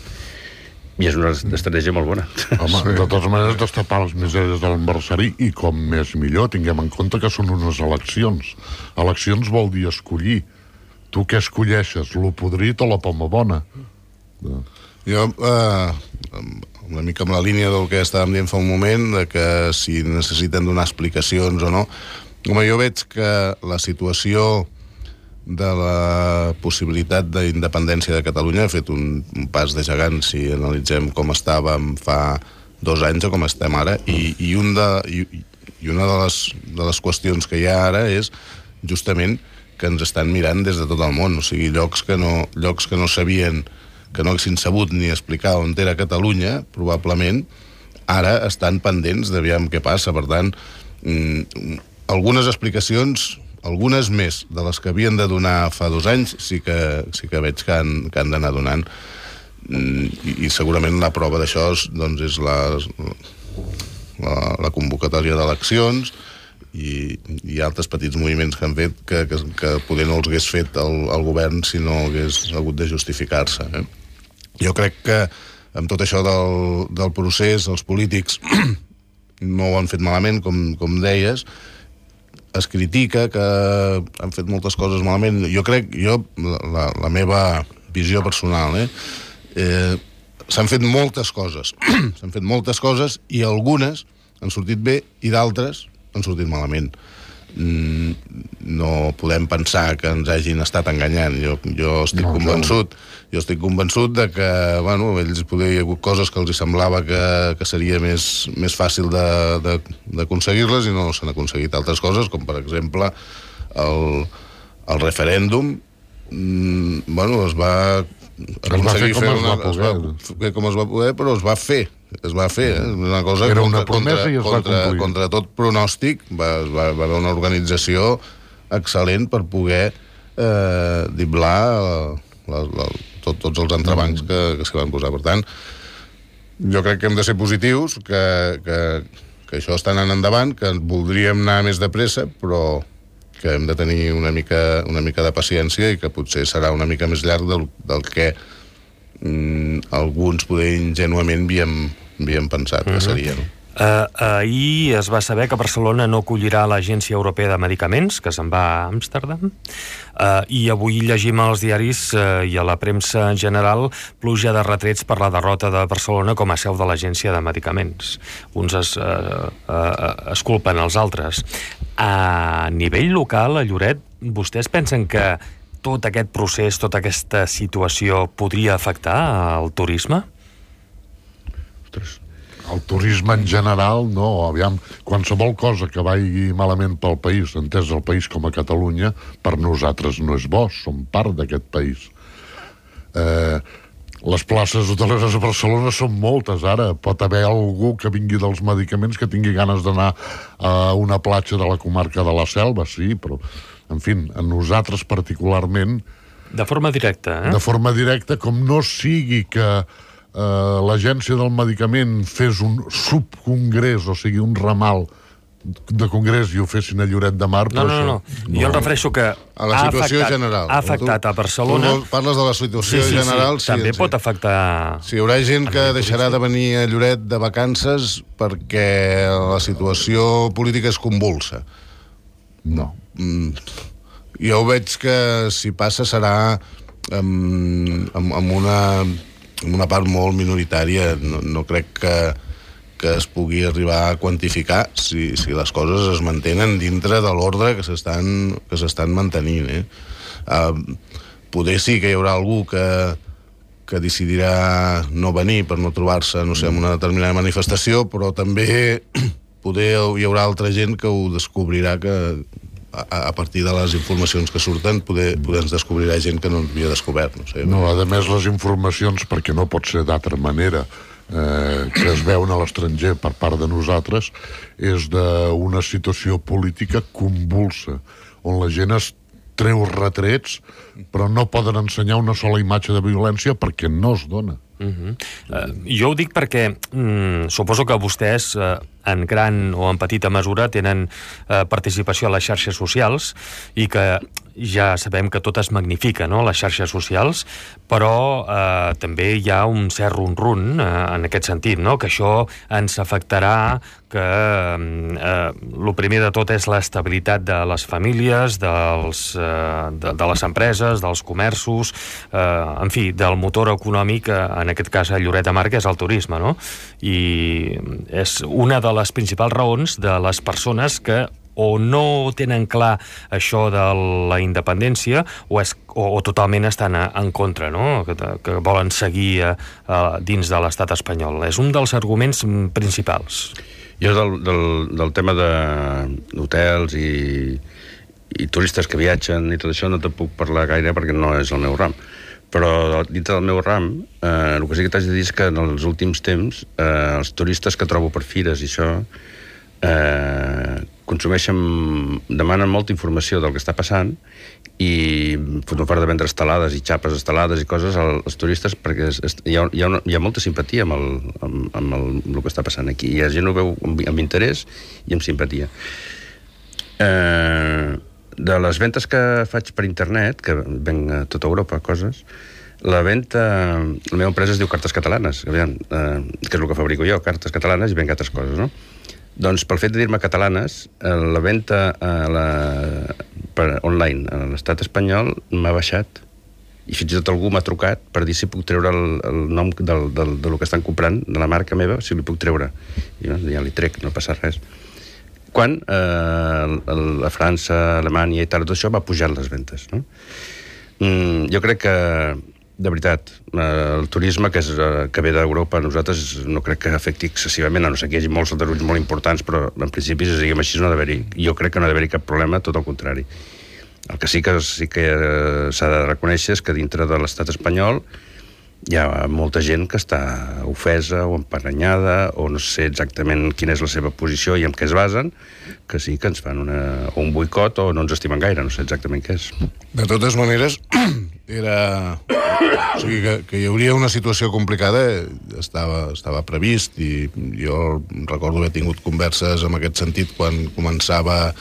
I és una estratègia molt bona. Home, sí. De totes maneres, destapar les misèries de l'adversari, i com més millor, tinguem en compte que són unes eleccions. Eleccions vol dir escollir. Tu què escolleixes, lo podrit o la poma bona? Jo, eh, una mica amb la línia del que estàvem dient fa un moment, de que si necessiten donar explicacions o no, home, jo veig que la situació de la possibilitat d'independència de Catalunya ha fet un, un pas de gegant si analitzem com estàvem fa dos anys o com estem ara, i, i, un de, i, i una de les, de les qüestions que hi ha ara és justament que ens estan mirant des de tot el món, o sigui, llocs que no, llocs que no sabien, que no haguessin sabut ni explicar on era Catalunya, probablement, ara estan pendents d'aviam què passa. Per tant, mm, algunes explicacions, algunes més de les que havien de donar fa dos anys, sí que, sí que veig que han, que han d'anar donant. Mm, i, i segurament la prova d'això doncs, és la, la, la convocatòria d'eleccions, i hi ha altres petits moviments que han fet que, que, que poder no els hagués fet el, el govern si no hagués hagut de justificar-se. Eh? Jo crec que amb tot això del, del procés, els polítics no ho han fet malament, com, com deies. Es critica que han fet moltes coses malament. Jo crec, jo, la, la meva visió personal, eh, eh, s'han fet moltes coses. S'han fet moltes coses i algunes han sortit bé i d'altres han sortit malament. Mm, no podem pensar que ens hagin estat enganyant. Jo, jo estic no, convençut jo estic convençut de que, bueno, ells poder hi ha hagut coses que els hi semblava que, que seria més, més fàcil d'aconseguir-les i no s'han aconseguit altres coses, com per exemple el, el referèndum. Mm, bueno, es va aconseguir fer una, es va fer com es va poder, però es va fer es va fer, eh? Una cosa era contra, una promesa i es va contra, complir. Contra tot pronòstic va, va, va haver una organització excel·lent per poder eh, diblar la, la, tot, tots els entrebancs que, que s'hi van posar. Per tant, jo crec que hem de ser positius, que, que, que això està anant endavant, que voldríem anar més de pressa, però que hem de tenir una mica, una mica de paciència i que potser serà una mica més llarg del, del que mm, alguns poder ingenuament havíem, havíem pensat que seria, no? Uh, ahir es va saber que Barcelona no acollirà l'Agència Europea de Medicaments, que se'n va a Amsterdam, uh, i avui llegim als diaris uh, i a la premsa en general pluja de retrets per la derrota de Barcelona com a seu de l'Agència de Medicaments. Uns es, uh, uh, es culpen els altres. A nivell local, a Lloret, vostès pensen que tot aquest procés, tota aquesta situació podria afectar al turisme? Ostres, el turisme en general, no. Aviam, qualsevol cosa que vagi malament pel país, entès el país com a Catalunya, per nosaltres no és bo, som part d'aquest país. Eh, les places hoteleres a Barcelona són moltes, ara. Pot haver algú que vingui dels medicaments que tingui ganes d'anar a una platja de la comarca de la Selva, sí, però, en fi, a nosaltres particularment... De forma directa, eh? De forma directa, com no sigui que Uh, l'agència del medicament fes un subcongrés, o sigui, un ramal de congrés i ho fessin a Lloret de Mar. No, no, no, no. Jo em refereixo que a la situació ha afectat, general. Ha afectat a Barcelona. Tu parles de la situació sí, sí, general. Sí, també sí, pot sí. afectar... Si hi haurà gent que deixarà de venir a Lloret de vacances perquè la situació política és convulsa. No. Mm, jo veig que si passa serà amb, amb, amb una... una part molt minoritària. No, no crec que, que es pugui arribar a quantificar si, si les coses es mantenen dintre de l'ordre que s'estan que s'estan mantenint. Eh? Uh, poder sí que hi haurà algú que, que decidirà no venir per no trobar-se, no sé, en una determinada manifestació, però també poder hi haurà altra gent que ho descobrirà que a partir de les informacions que surten poder, poder ens descobrirà gent que no havia descobert, no sé. No, a més les informacions, perquè no pot ser d'altra manera, eh, que es veuen a l'estranger per part de nosaltres, és d'una situació política convulsa, on la gent es treu retrets, però no poden ensenyar una sola imatge de violència perquè no es dona. Uh-huh. uh, jo ho dic perquè mm, suposo que vostès uh, en gran o en petita mesura tenen uh, participació a les xarxes socials i que ja sabem que tot es magnifica, no?, les xarxes socials, però uh, també hi ha un cert run-run uh, en aquest sentit, no?, que això ens afectarà, que uh, el primer de tot és l'estabilitat de les famílies, dels, uh, de, de les empreses, dels comerços, uh, en fi, del motor econòmic, uh, en aquest cas a Lloret de Mar, que és el turisme, no? I és una de les principals raons de les persones que o no tenen clar això de la independència o, és, o, o totalment estan a, en contra, no? Que, que volen seguir a, a, dins de l'estat espanyol. És un dels arguments principals. Jo del, del, del tema d'hotels i, i turistes que viatgen i tot això no te puc parlar gaire perquè no és el meu ram. Però dintre del meu ram, eh, el que sí que t'haig de dir és que en els últims temps eh, els turistes que trobo per fires i això eh, consumeixen, demanen molta informació del que està passant i foten fora de vendre estelades i xapes estelades i coses als turistes perquè es, es, hi, ha, hi, ha una, hi ha molta simpatia amb el, amb, amb el, amb el que està passant aquí. I la gent ho veu amb, amb interès i amb simpatia. Eh, de les ventes que faig per internet, que venc a tota Europa, coses, la venta... La meva empresa es diu Cartes Catalanes, aviam, eh, que és el que fabrico jo, cartes catalanes, i venc altres coses, no? Doncs pel fet de dir-me catalanes, eh, la venta a la, per online a l'estat espanyol m'ha baixat. I fins i tot algú m'ha trucat per dir si puc treure el, el nom del, del, de lo que estan comprant, de la marca meva, si li puc treure. I jo, ja li trec, no passa res. Quan eh, la França, Alemanya i tal, tot això va pujar les ventes, no? Mm, jo crec que, de veritat, eh, el turisme que, és, eh, que ve d'Europa a nosaltres no crec que afecti excessivament, a no ser que hi hagi molts aldarulls molt importants, però en principi, si diguem així, no ha d'haver-hi. Jo crec que no ha d'haver-hi cap problema, tot el contrari. El que sí que, sí que eh, s'ha de reconèixer és que dintre de l'estat espanyol hi ha molta gent que està ofesa o emparanyada o no sé exactament quina és la seva posició i en què es basen, que sí que ens fan una, o un boicot o no ens estimen gaire, no sé exactament què és. De totes maneres, era... O sigui, que, que hi hauria una situació complicada, estava, estava previst, i jo recordo haver tingut converses en aquest sentit quan començava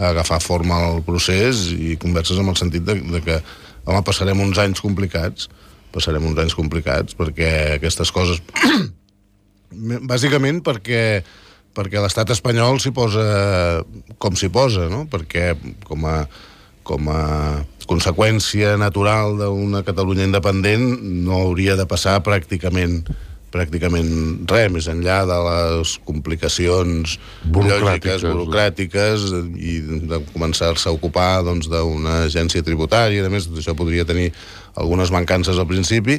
a agafar forma el procés, i converses en el sentit de, de que, home, passarem uns anys complicats, passarem uns anys complicats, perquè aquestes coses... Bàsicament perquè, perquè l'estat espanyol s'hi posa com s'hi posa, no? Perquè com a, com a conseqüència natural d'una Catalunya independent no hauria de passar pràcticament pràcticament res, més enllà de les complicacions lògiques, burocràtiques, i de començar-se a ocupar doncs, d'una agència tributària. A més, això podria tenir algunes mancances al principi,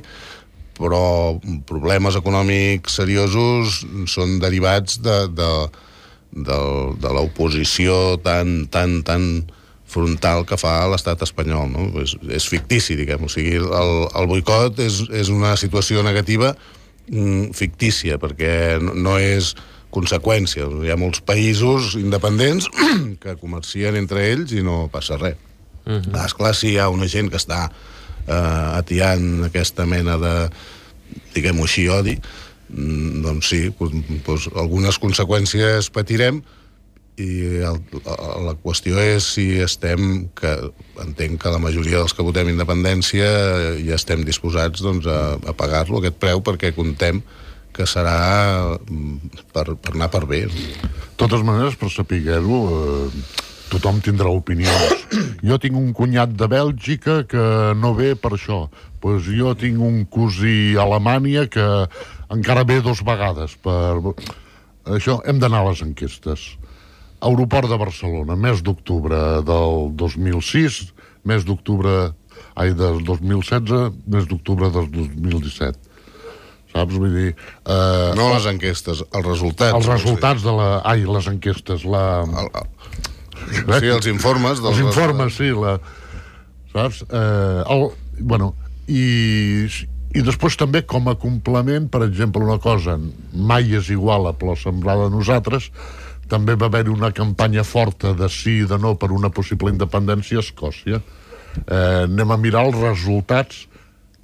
però problemes econòmics seriosos són derivats de, de, de, de l'oposició tan, tan, tan frontal que fa l'estat espanyol, no? És, és fictici, diguem. O sigui, el, el boicot és, és una situació negativa fictícia, perquè no és conseqüència. Hi ha molts països independents que comercien entre ells i no passa res. Uh-huh. Esclar, si hi ha una gent que està eh, atiant aquesta mena de, diguem-ho així, odi, doncs sí, doncs algunes conseqüències patirem, i el, la qüestió és si estem, que entenc que la majoria dels que votem independència ja estem disposats doncs, a, a pagar-lo, aquest preu, perquè contem que serà per, per anar per bé. De totes maneres, per saber-ho, eh, tothom tindrà opinions. Jo tinc un cunyat de Bèlgica que no ve per això. Pues jo tinc un cosí a Alemanya que encara ve dos vegades. Per... Això, hem d'anar a les enquestes. Aeroport de Barcelona, mes d'octubre del dos mil sis, mes d'octubre, ai, del dos mil setze, mes d'octubre del dos mil disset. Saps? Vull dir... Eh, no les enquestes, els resultats. Els resultats de la... Ai, les enquestes, la... El, el, sí, els informes. Dels els informes, sí, la... Saps? Eh, el, bueno, i, i després també com a complement, per exemple, una cosa, mai és igual a plor sembrada a nosaltres, també va haver una campanya forta de sí i de no per una possible independència a Escòcia. Eh, anem a mirar els resultats,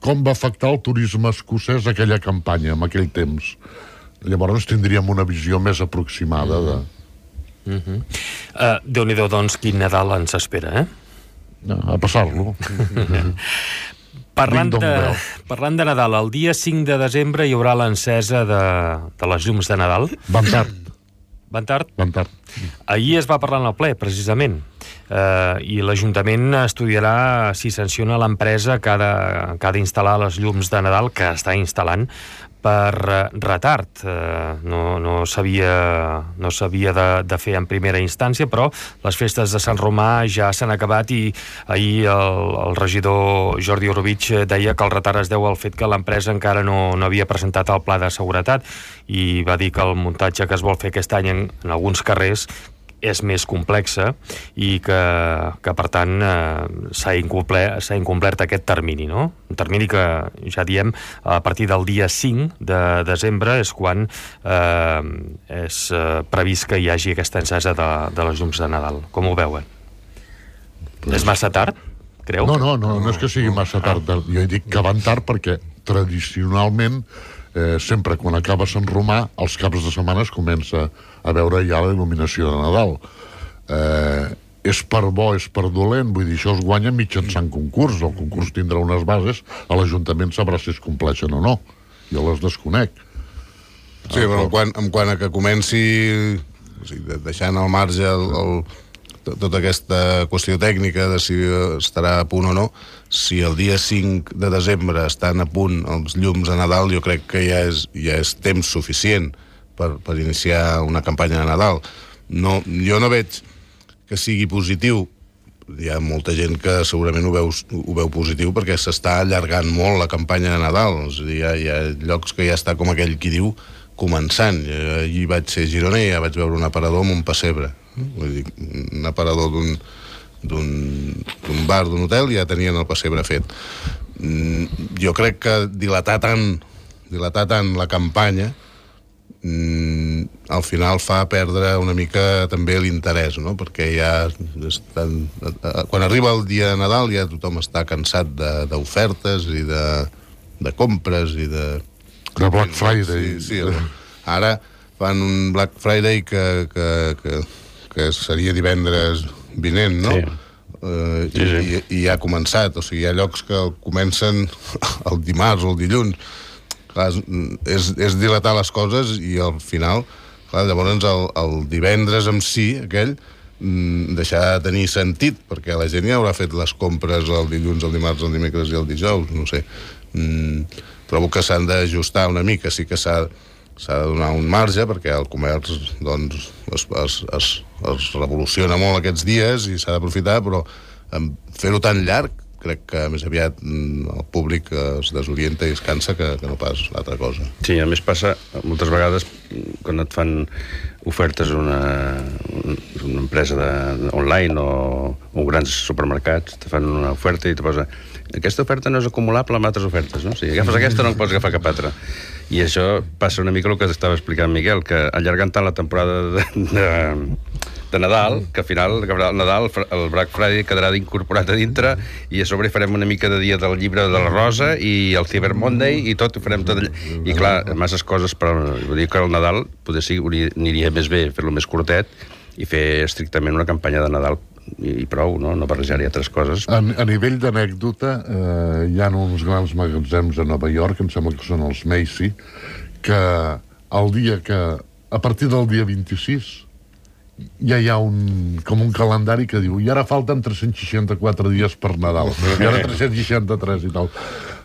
com va afectar el turisme escocès aquella campanya, en aquell temps. Llavors tindríem una visió més aproximada de... Uh-huh. uh, Déu-n'hi-do, doncs, quin Nadal ens espera, eh? No, a passar-lo. Parlant de, parlant de Nadal, el dia cinc de desembre hi haurà l'encesa de, de les llums de Nadal. Van tard. Van tard? Van tard. Ahir es va parlar en el ple, precisament, eh, i l'Ajuntament estudiarà si sanciona l'empresa que ha, de, que ha d'instal·lar les llums de Nadal, que està instal·lant, per eh, retard. Eh, no no s'havia no s'havia de, de fer en primera instància, però les festes de Sant Romà ja s'han acabat, i ahir el, el regidor Jordi Orobitg deia que el retard es deu al fet que l'empresa encara no, no havia presentat el pla de seguretat, i va dir que el muntatge que es vol fer aquest any en, en alguns carrers és més complexa, i que, que per tant eh, s'ha incomplert, s'ha incomplert aquest termini, no? Un termini que, ja diem, a partir del dia cinc de desembre és quan eh, és eh, previst que hi hagi aquesta encesa de, de les llums de Nadal. Com ho veuen? Pues... És massa tard, creu? No, no, no, no és que sigui massa tard. Ah. Jo he dit que van tard perquè tradicionalment Eh, sempre quan acaba Sant Romà, els caps de setmana es comença a veure ja la il·luminació de Nadal. Eh, és per bo, és per dolent, vull dir, això es guanya mitjançant concurs, el concurs tindrà unes bases, a l'Ajuntament sabrà si es compleixen o no, jo les desconec. Sí, però en quant, en quant a que comenci, o sigui, deixant al marge el, el, tota aquesta qüestió tècnica de si estarà a punt o no, si el dia cinc de desembre estan a punt els llums a Nadal, jo crec que ja és, ja és temps suficient per, per iniciar una campanya de Nadal. No, jo no veig que sigui positiu. Hi ha molta gent que segurament ho veu, ho veu positiu perquè s'està allargant molt la campanya de Nadal. És a dir, hi ha, hi ha llocs que ja està com aquell qui diu començant. Allí vaig ser a Girona i ja vaig veure un aparador amb un pessebre. Vull dir, un aparador d'un d'un bar, d'un hotel, ja tenien el pessebre fet. Jo crec que dilatar tant, dilatar tant la campanya al final fa perdre una mica també l'interès, no? Perquè ja estan, quan arriba el dia de Nadal ja tothom està cansat d'ofertes i de, de compres i de... De Black Friday. Sí, sí. Ara fan un Black Friday que, que, que, que seria divendres vinent, no? Sí. Uh, sí, sí. I, i ja ha començat, o sigui, hi ha llocs que comencen el dimarts o el dilluns. Clar, és, és dilatar les coses i al final, clar, llavors el, el divendres en si, aquell, deixar de tenir sentit, perquè la gent ja haurà fet les compres el dilluns, el dimarts, el dimecres i el dijous, no sé. Mm, trobo que s'han d'ajustar una mica, sí que s'ha s'ha de donar un marge, perquè el comerç doncs, es, es, es, es revoluciona molt aquests dies i s'ha d'aprofitar, però fer-ho tan llarg crec que més aviat el públic es desorienta i es cansa que, que no pas l'altra cosa. Sí, a més passa moltes vegades quan et fan ofertes una, una empresa de, online o, o grans supermercats, te fan una oferta i te posa aquesta oferta no és acumulable amb altres ofertes, no? Si agafes aquesta no en pots agafar cap altra. I això passa una mica el que estava explicant Miquel, que allargant tant la temporada de, de, de Nadal, que al final el Nadal, el Black Friday quedarà incorporat a dintre i a sobre farem una mica de dia del llibre de la Rosa i el Cyber Monday i tot ho farem tot allà. I clar, masses coses, però vull dir que el Nadal potser sí, aniria més bé fer-lo més curtet i fer estrictament una campanya de Nadal i prou, no? No barrejar-hi altres coses. A, a nivell d'anècdota, eh, hi ha uns grans magatzems a Nova York, em sembla que són els Macy, que el dia que, a partir del dia vint-i-sis, ja hi ha un, com un calendari que diu i ara falten tres-cents seixanta-quatre dies per Nadal, i ara tres-cents seixanta-tres i tal.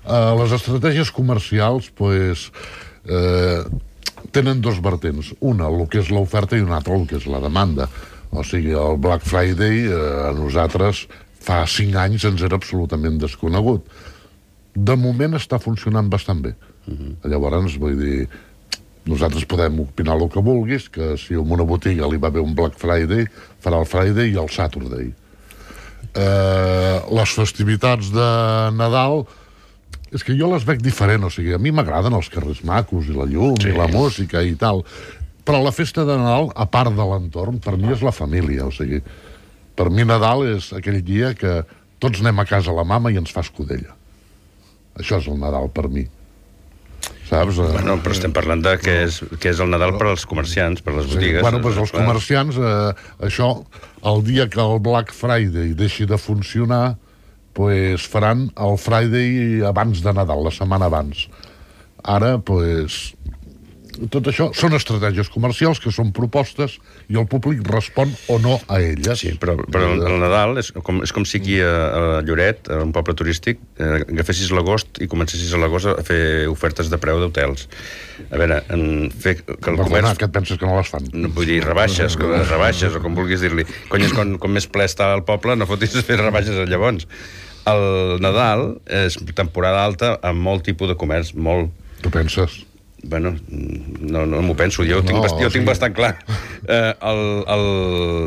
Eh, les estratègies comercials, pues, eh, tenen dos vertents. Una, el que és l'oferta, i una altra, el que és la demanda. O sigui, el Black Friday eh, a nosaltres fa cinc anys ens era absolutament desconegut. De moment està funcionant bastant bé. Uh-huh. Llavors, vull dir, nosaltres podem opinar el que vulguis, que si en una botiga li va bé un Black Friday, farà el Friday i el Saturday. Eh, les festivitats de Nadal, és que jo les veig diferent, o sigui, a mi m'agraden els carrers macos i la llum sí. i la música i tal. Però la festa de Nadal, a part de l'entorn, per mi és la família, o sigui, per mi Nadal és aquell dia que tots anem a casa a la mama i ens fa escudella. Això és el Nadal per mi. Saps? Bueno, però estem parlant de què és, què és el Nadal per als comerciants, per les botigues. Sí, bueno, doncs els comerciants, eh, això, el dia que el Black Friday deixi de funcionar, pues faran el Friday abans de Nadal, la setmana abans. Ara, pues... tot això són estratègies comercials que són propostes i el públic respon o no a elles. Sí, però, però el, el Nadal és com, és com si aquí a, a Lloret, a un poble turístic, eh, agafessis l'agost i comencessis a l'agost a fer ofertes de preu d'hotels. A veure, en fer que el Perdona, comerç... que et penses que no les fan? No, vull dir, rebaixes, que, rebaixes, o com vulguis dir-li. Cony, és com, com més ple està el poble, no fotis fer rebaixes llavors. El Nadal és temporada alta amb molt tipus de comerç, molt... Tu penses? Bueno, no, no m'ho penso, jo ho tinc, no, bast... jo ho tinc sí. bastant clar. Eh, el, el...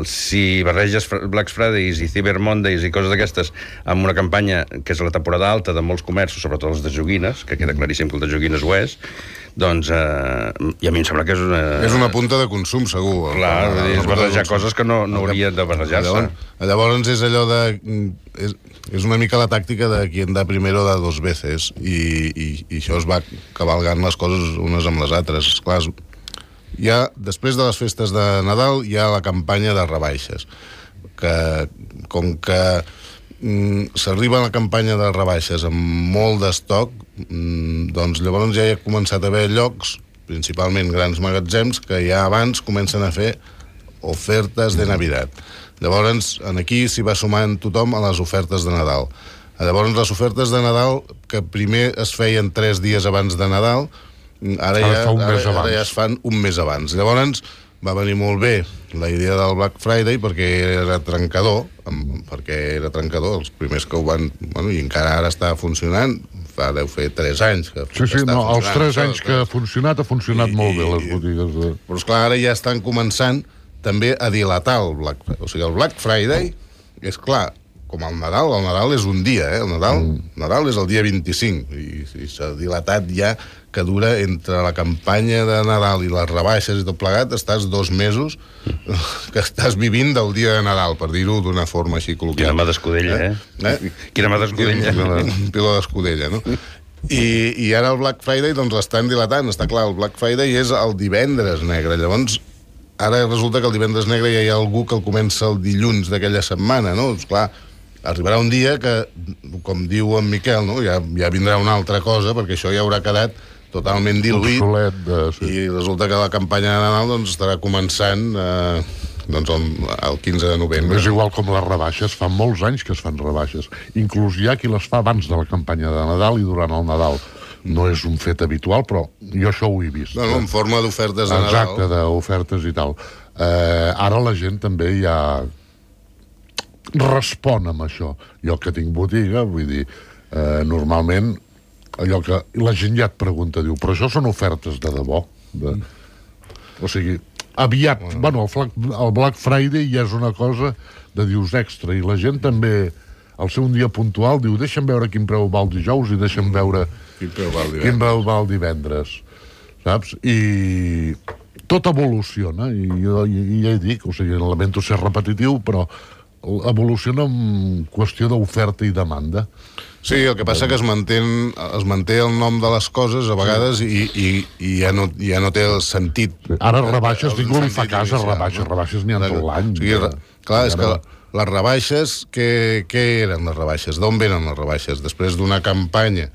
Si barreges Black Fridays i Cyber Mondays i coses d'aquestes amb una campanya que és la temporada alta de molts comerços, sobretot els de joguines, que queda claríssim que el de joguines ho és, doncs, eh, i a mi em sembla que és una... És una punta de consum, segur. Clar, el, és barrejar coses que no, no haurien de barrejar-se. Llavors, llavors és allò de... És, és una mica la tàctica de qui en da primero da dos veces, i, i, i això es va cavalgant les coses unes amb les altres. Esclar, hi ha, després de les festes de Nadal hi ha la campanya de rebaixes. que com que mm, s'arriba a la campanya de rebaixes amb molt d'estoc, mm, doncs llavors ja hi ha començat a haver llocs, principalment grans magatzems, que ja abans comencen a fer ofertes de Navidad. Llavors, aquí s'hi va sumant tothom a les ofertes de Nadal. Llavors, les ofertes de Nadal, que primer es feien tres dies abans de Nadal, ara, ja, ara, ara, ara ja es fan un mes abans. Llavors, va venir molt bé la idea del Black Friday perquè era trencador, perquè era trencador, els primers que ho van... Bueno, i encara ara està funcionant, fa, deu fer tres anys que, sí, sí, que està no, funcionant. Els tres anys que ha funcionat, ha funcionat I, molt bé, les botigues. De... Però, esclar, ara ja estan començant també a dilatar el Black Friday. O sigui, el Black Friday, és clar, com el Nadal, el Nadal és un dia, eh? El Nadal, mm. Nadal és el dia vint-i-cinc, i, i s'ha dilatat ja, que dura entre la campanya de Nadal i les rebaixes i tot plegat, estàs dos mesos que estàs vivint del dia de Nadal, per dir-ho d'una forma així col·loquial. Quina mà d'escudella, eh? eh? Quina mà d'escudella. Un piló d'escudella, no? I, I ara el Black Friday, doncs, l'estan dilatant. Està clar, el Black Friday és el divendres negre. Llavors, ara resulta que el divendres negre ja hi ha algú que el comença el dilluns d'aquella setmana, no? Doncs, clar, arribarà un dia que, com diu en Miquel, no? ja, ja vindrà una altra cosa, perquè això ja haurà quedat totalment diluït, obsolet, de, sí. I resulta que la campanya de Nadal doncs, estarà començant eh, doncs, el, el quinze de novembre. És igual com les rebaixes, fa molts anys que es fan rebaixes. Inclús hi ha qui les fa abans de la campanya de Nadal i durant el Nadal. No és un fet habitual, però jo això ho he vist. No, no, en forma d'ofertes de Nadal. Exacte, d'ofertes i tal. Eh, ara la gent també ja respon amb això. Jo que tinc botiga, vull dir, eh, normalment allò que la gent ja et pregunta, diu, però això són ofertes de debò? De... O sigui, aviat, bueno, bueno el, Black, el Black Friday ja és una cosa de dius extra, i la gent també, al ser un dia puntual, diu, deixa'm veure quin preu va el dijous i deixa'm veure quin preu va el divendres. Quin preu va el divendres, saps? I tot evoluciona, i jo i ja hi dic, o sigui, lamento ser repetitiu, però evoluciona en qüestió d'oferta i demanda. Sí, el que passa que es manté, es manté el nom de les coses a vegades i, i, i ja, no, ja no té el sentit. Ara rebaixes, ningú li fa cas a rebaixes, no? Rebaixes n'hi ha tot l'any. O sigui, clar, és que les rebaixes, què, què eren les rebaixes? D'on venen les rebaixes? Després d'una campanya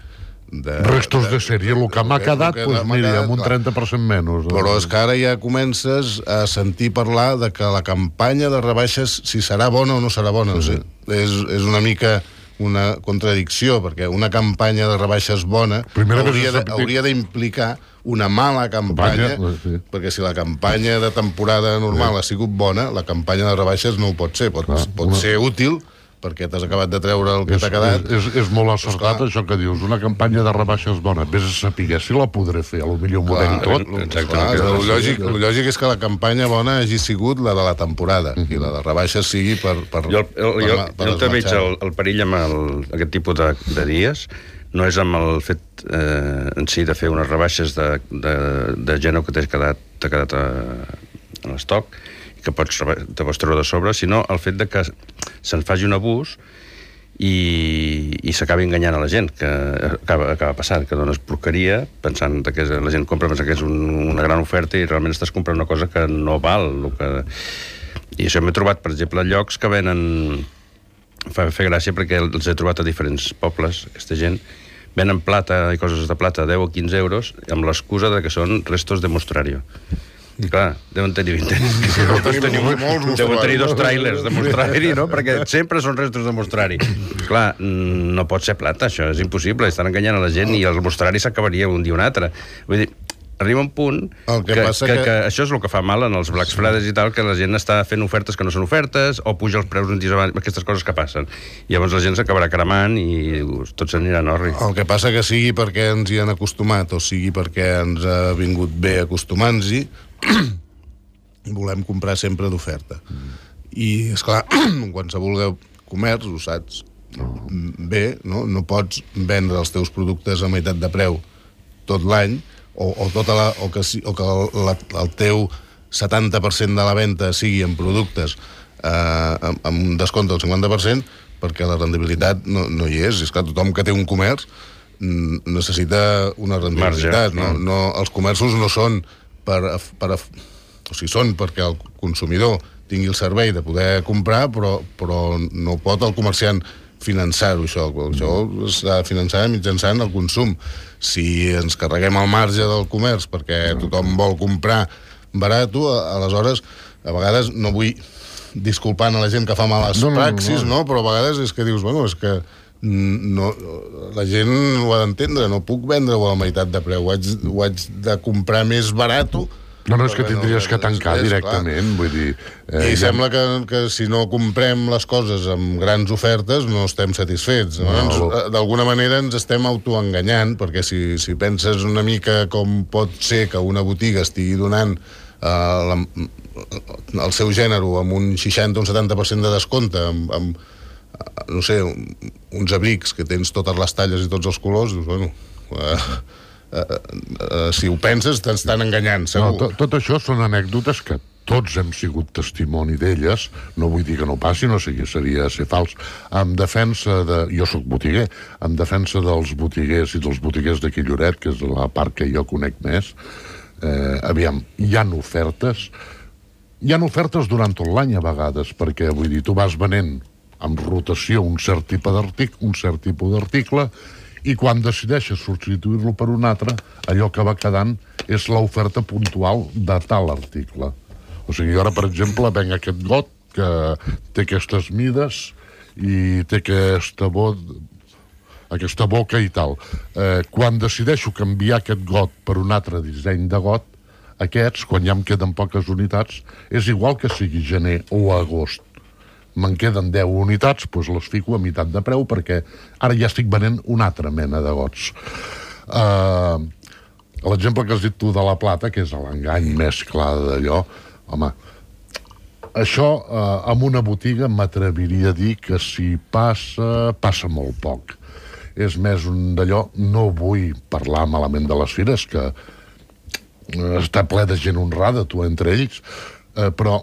de... Restos de, de sèrie, el que m'ha quedat, doncs mira, amb un trenta per cent menys. Però és que ara ja comences a sentir parlar de que la campanya de rebaixes, si serà bona o no serà bona, sí. No sé, és, és una mica una contradicció, perquè una campanya de rebaixes bona hauria, de, hauria d'implicar una mala campanya, campanya sí. Perquè si la campanya de temporada normal sí. Ha sigut bona, la campanya de rebaixes no ho pot ser, pot, clar, pot una... ser útil, perquè t'has acabat de treure el que t'ha quedat. És, és, és molt acertat, pues, això que dius, una campanya de rebaixes bona, vés a saber si la podré fer, a lo millor m'ho deia tot. Clar, el, lògic, el lògic és que la campanya bona hagi sigut la de la temporada, uh-huh. I la de rebaixes sigui per... per jo el, per, jo, per jo també veig el, el perill amb el, aquest tipus de, de dies, no és amb el fet eh, en si de fer unes rebaixes de, de, de gènere que t'ha quedat, quedat a, a l'estoc, que pots, te pots treure de sobre, sinó el fet de que se'n faci un abús i, i s'acabi enganyant a la gent, que acaba, acaba passant, que dones porqueria, pensant que la gent compra pensant que és un, una gran oferta i realment estàs comprant una cosa que no val. El que... I això m'he trobat, per exemple, llocs que venen... Fa fer gràcia perquè els he trobat a diferents pobles, aquesta gent, venen plata i coses de plata a deu o quinze euros amb l'excusa de que són restos de mostrario. I clar, deuen tenir vint anys. Deuen tenir dos tràilers de mostrari, no? Perquè sempre són restos de mostrari. Clar, no pot ser plata, això és impossible. Estan enganyant a la gent i el mostrari s'acabaria un dia o un altre. Vull dir, arriba un punt que, que, que, que això és el que fa mal en els Black Fridays i tal, que la gent està fent ofertes que no són ofertes o puja els preus un dia abans, aquestes coses que passen. I llavors la gent s'acabarà cremant i tot s'anirà en orri. El que passa que sigui perquè ens hi han acostumat o sigui perquè ens ha vingut bé acostumant-hi, volem comprar sempre d'oferta. I, esclar, en qualsevol comerç, ho saps bé, no? No pots vendre els teus productes a meitat de preu tot l'any, o, o, tota la, o que, o que la, el teu setanta per cent de la venda sigui en productes eh, amb, amb un descompte del cinquanta per cent, perquè la rendibilitat no, no hi és. És clar, tothom que té un comerç necessita una rendibilitat. No? No, els comerços no són per, per, o sigui, són perquè el consumidor tingui el servei de poder comprar, però, però no pot el comerciant finançar-ho, això. Això s'ha de finançar mitjançant el consum. Si ens carreguem el marge del comerç perquè tothom vol comprar barat, aleshores, a vegades, no vull disculpant a la gent que fa males no, praxis, no, no. no? Però a vegades és que dius, bueno, és que no, la gent ho ha d'entendre, no puc vendre-ho a la meitat de preu, ho haig, ho haig de comprar més barat. No, no, és que tindries que tancar és, directament, clar. Vull dir... Eh, I ja... sembla que, que si no comprem les coses amb grans ofertes no estem satisfets. No? No. D'alguna manera ens estem autoenganyant, perquè si, si penses una mica com pot ser que una botiga estigui donant eh, la, el seu gènere amb un seixanta o un setanta per cent de descompte, amb, amb no sé, uns abrics que tens totes les talles i tots els colors, dius, bueno... Eh, Uh, uh, si ho penses, t'estan enganyant, segur. No, tot, tot això són anècdotes que tots hem sigut testimoni d'elles, no vull dir que no passi, no sé, seria ser fals. En defensa de... Jo sóc botiguer, en defensa dels botiguers i dels botiguers d'aquí Lloret, que és la part que jo conec més, eh, aviam, hi ha ofertes, hi ha ofertes durant tot l'any a vegades, perquè, vull dir, tu vas venent amb rotació un cert tipus d'article, un cert tipus d'article, i quan decideixes substituir-lo per un altre, allò que va quedant és l'oferta puntual de tal article. O sigui, ara, per exemple, venc aquest got que té aquestes mides i té aquesta, bo... aquesta boca i tal. Eh, quan decideixo canviar aquest got per un altre disseny de got, aquests, quan ja em queden poques unitats, és igual que sigui gener o agost. Me'n queden deu unitats, doncs les fico a meitat de preu, perquè ara ja estic venent una altra mena de gots. Uh, L'exemple que has dit tu de la plata, que és l'engany més clar d'allò, home, això uh, en una botiga m'atreviria a dir que si passa, passa molt poc. És més un d'allò, no vull parlar malament de les fires, que està ple de gent honrada, tu entre ells, uh, però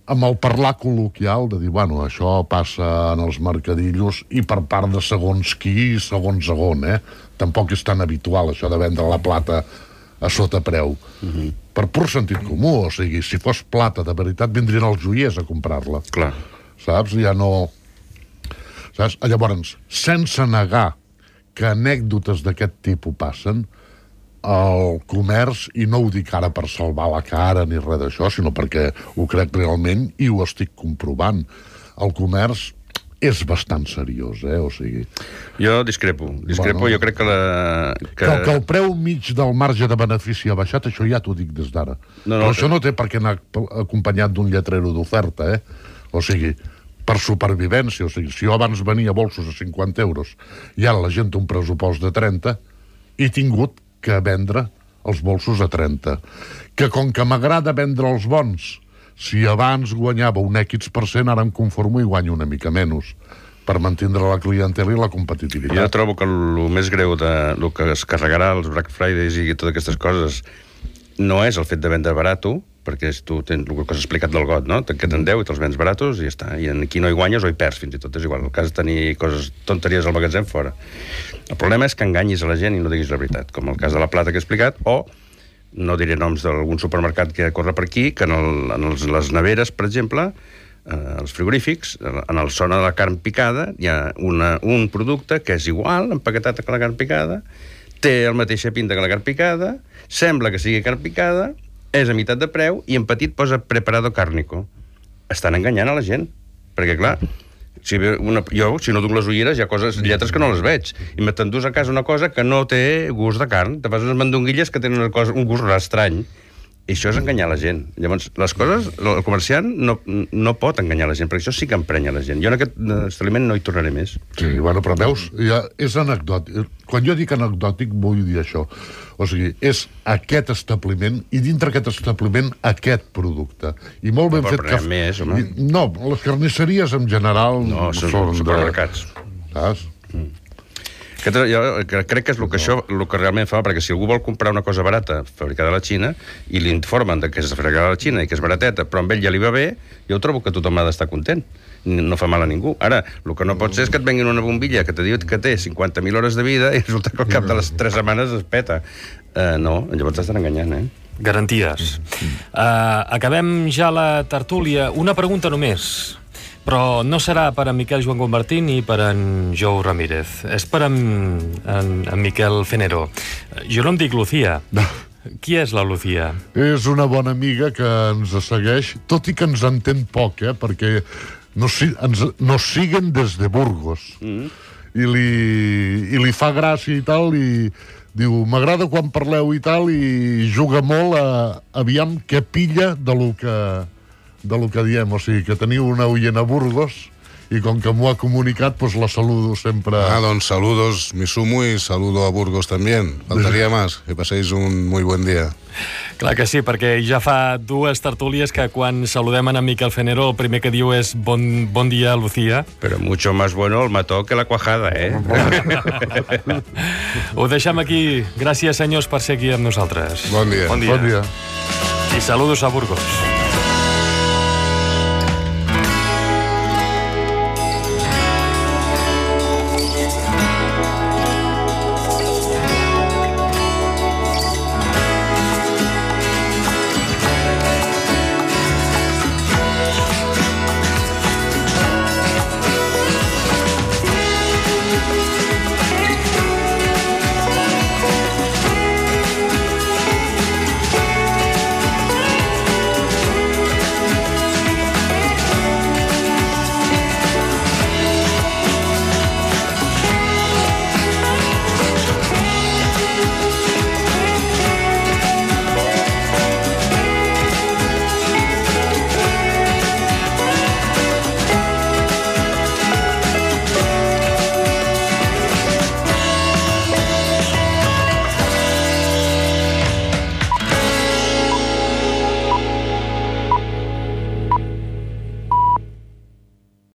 amb el parlar col·loquial de dir, bueno, això passa en els mercadillos i per part de segons qui, segons segon, eh? Tampoc és tan habitual això de vendre la plata a sota preu. Uh-huh. Per pur sentit comú, o sigui, si fos plata de veritat, vindrien els joiers a comprar-la. Clar. Saps? Ja no... Saps? Llavors, sense negar que anècdotes d'aquest tipus passen, el comerç, i no ho dic ara per salvar la cara ni res d'això, sinó perquè ho crec realment i ho estic comprovant. El comerç és bastant seriós, eh? O sigui... Jo discrepo. Discrepo, bueno, jo crec que la... Que... Que, que el preu mig del marge de benefici ha baixat, això ja t'ho dic des d'ara. No, no, Però això no té per què anar acompanyat d'un lletrero d'oferta, eh? O sigui, per supervivència. O sigui, si jo abans venia bolsos a cinquanta euros i ara la gent té un pressupost de trenta, he tingut que vendre els bolsos a trenta. Que com que m'agrada vendre els bons, si abans guanyava un X per cent, ara em conformo i guanyo una mica menys, per mantindre la clientela i la competitivitat. Jo trobo que el més greu de el que es carregarà els Black Fridays i totes aquestes coses no és el fet de vendre barato, perquè és, tu tens el que has explicat del got, no? Te'n queden deu i te'ls vens baratos i ja està. I aquí no hi guanyes o hi perds, fins i tot. És igual. El cas de tenir coses, tonteries al magatzem, fora. El problema és que enganyis a la gent i no diguis la veritat, com el cas de la plata que he explicat, o no diré noms d'algun supermercat que corre per aquí, que en, el, en els, les neveres, per exemple, eh, els frigorífics, en el zona de la carn picada, hi ha una, un producte que és igual, empaquetat que la carn picada, té el mateixa pinta que la carn picada, sembla que sigui carn picada, és a meitat de preu, i en petit posa preparado cárnico. Estan enganyant a la gent. Perquè, clar, si una, jo, si no duc les ulleres, hi ha coses, lletres que no les veig. I me t'endús a casa una cosa que no té gust de carn. Te fas unes mandonguilles que tenen una cosa, un gust estrany. I això és enganyar la gent. Llavors, les coses, el comerciant no, no pot enganyar la gent, perquè això sí que emprenya la gent. Jo en aquest establiment no hi tornaré més. Sí, bueno, però veus, ja és anecdòtic. Quan jo dic anecdòtic, vull dir això. O sigui, és aquest establiment i dintre aquest establiment aquest producte. I molt ben no, fet que... Més, home. No, les carnisseries en general no, són, són supermercats. De... Saps? Mm. Aquest, jo crec que és el que, això, el que realment fa, perquè si algú vol comprar una cosa barata fabricada a la Xina i li informen que és fabricada a la Xina i que és barateta, però amb ell ja li va bé, jo trobo que tothom ha d'estar content. No fa mal a ningú. Ara, el que no pot ser és que et venguin una bombilla que te diu que té cinquanta mil hores de vida i resulta que al cap de les tres setmanes es peta. Uh, no, llavors t'estan enganyant, eh? Garantides. Uh, acabem ja la tertúlia. Una pregunta només, però no serà per en Miquel Joan Convertí ni per en Jou Ramírez. És per en, en, en Miquel Fenero. Jo no em dic Lucía. No. Qui és la Lucía? És una bona amiga que ens segueix, tot i que ens entén poc, eh? Perquè nos, ens, nos siguen des de Burgos. Mm. I, li, I li fa gràcia i tal, i diu, m'agrada quan parleu i tal, i juga molt a aviam què pilla de lo que, de lo que diem. O sigui, que teniu una oient a Burgos, i com que m'ho ha comunicat, pues la saludo sempre. Ah, doncs saludos, me sumo y saludo a Burgos también. Faltaría más. Que paséis un muy buen día. Clar que sí, perquè ja fa dues tertúlies que quan saludem en Miquel Fenero el primer que diu és bon, bon dia, Lucía. Però mucho más bueno el mató que la cuajada, eh? Ho deixem aquí. Gràcies, senyors, per ser aquí amb nosaltres. Bon dia. Bon dia. Bon dia. I saludos a Burgos.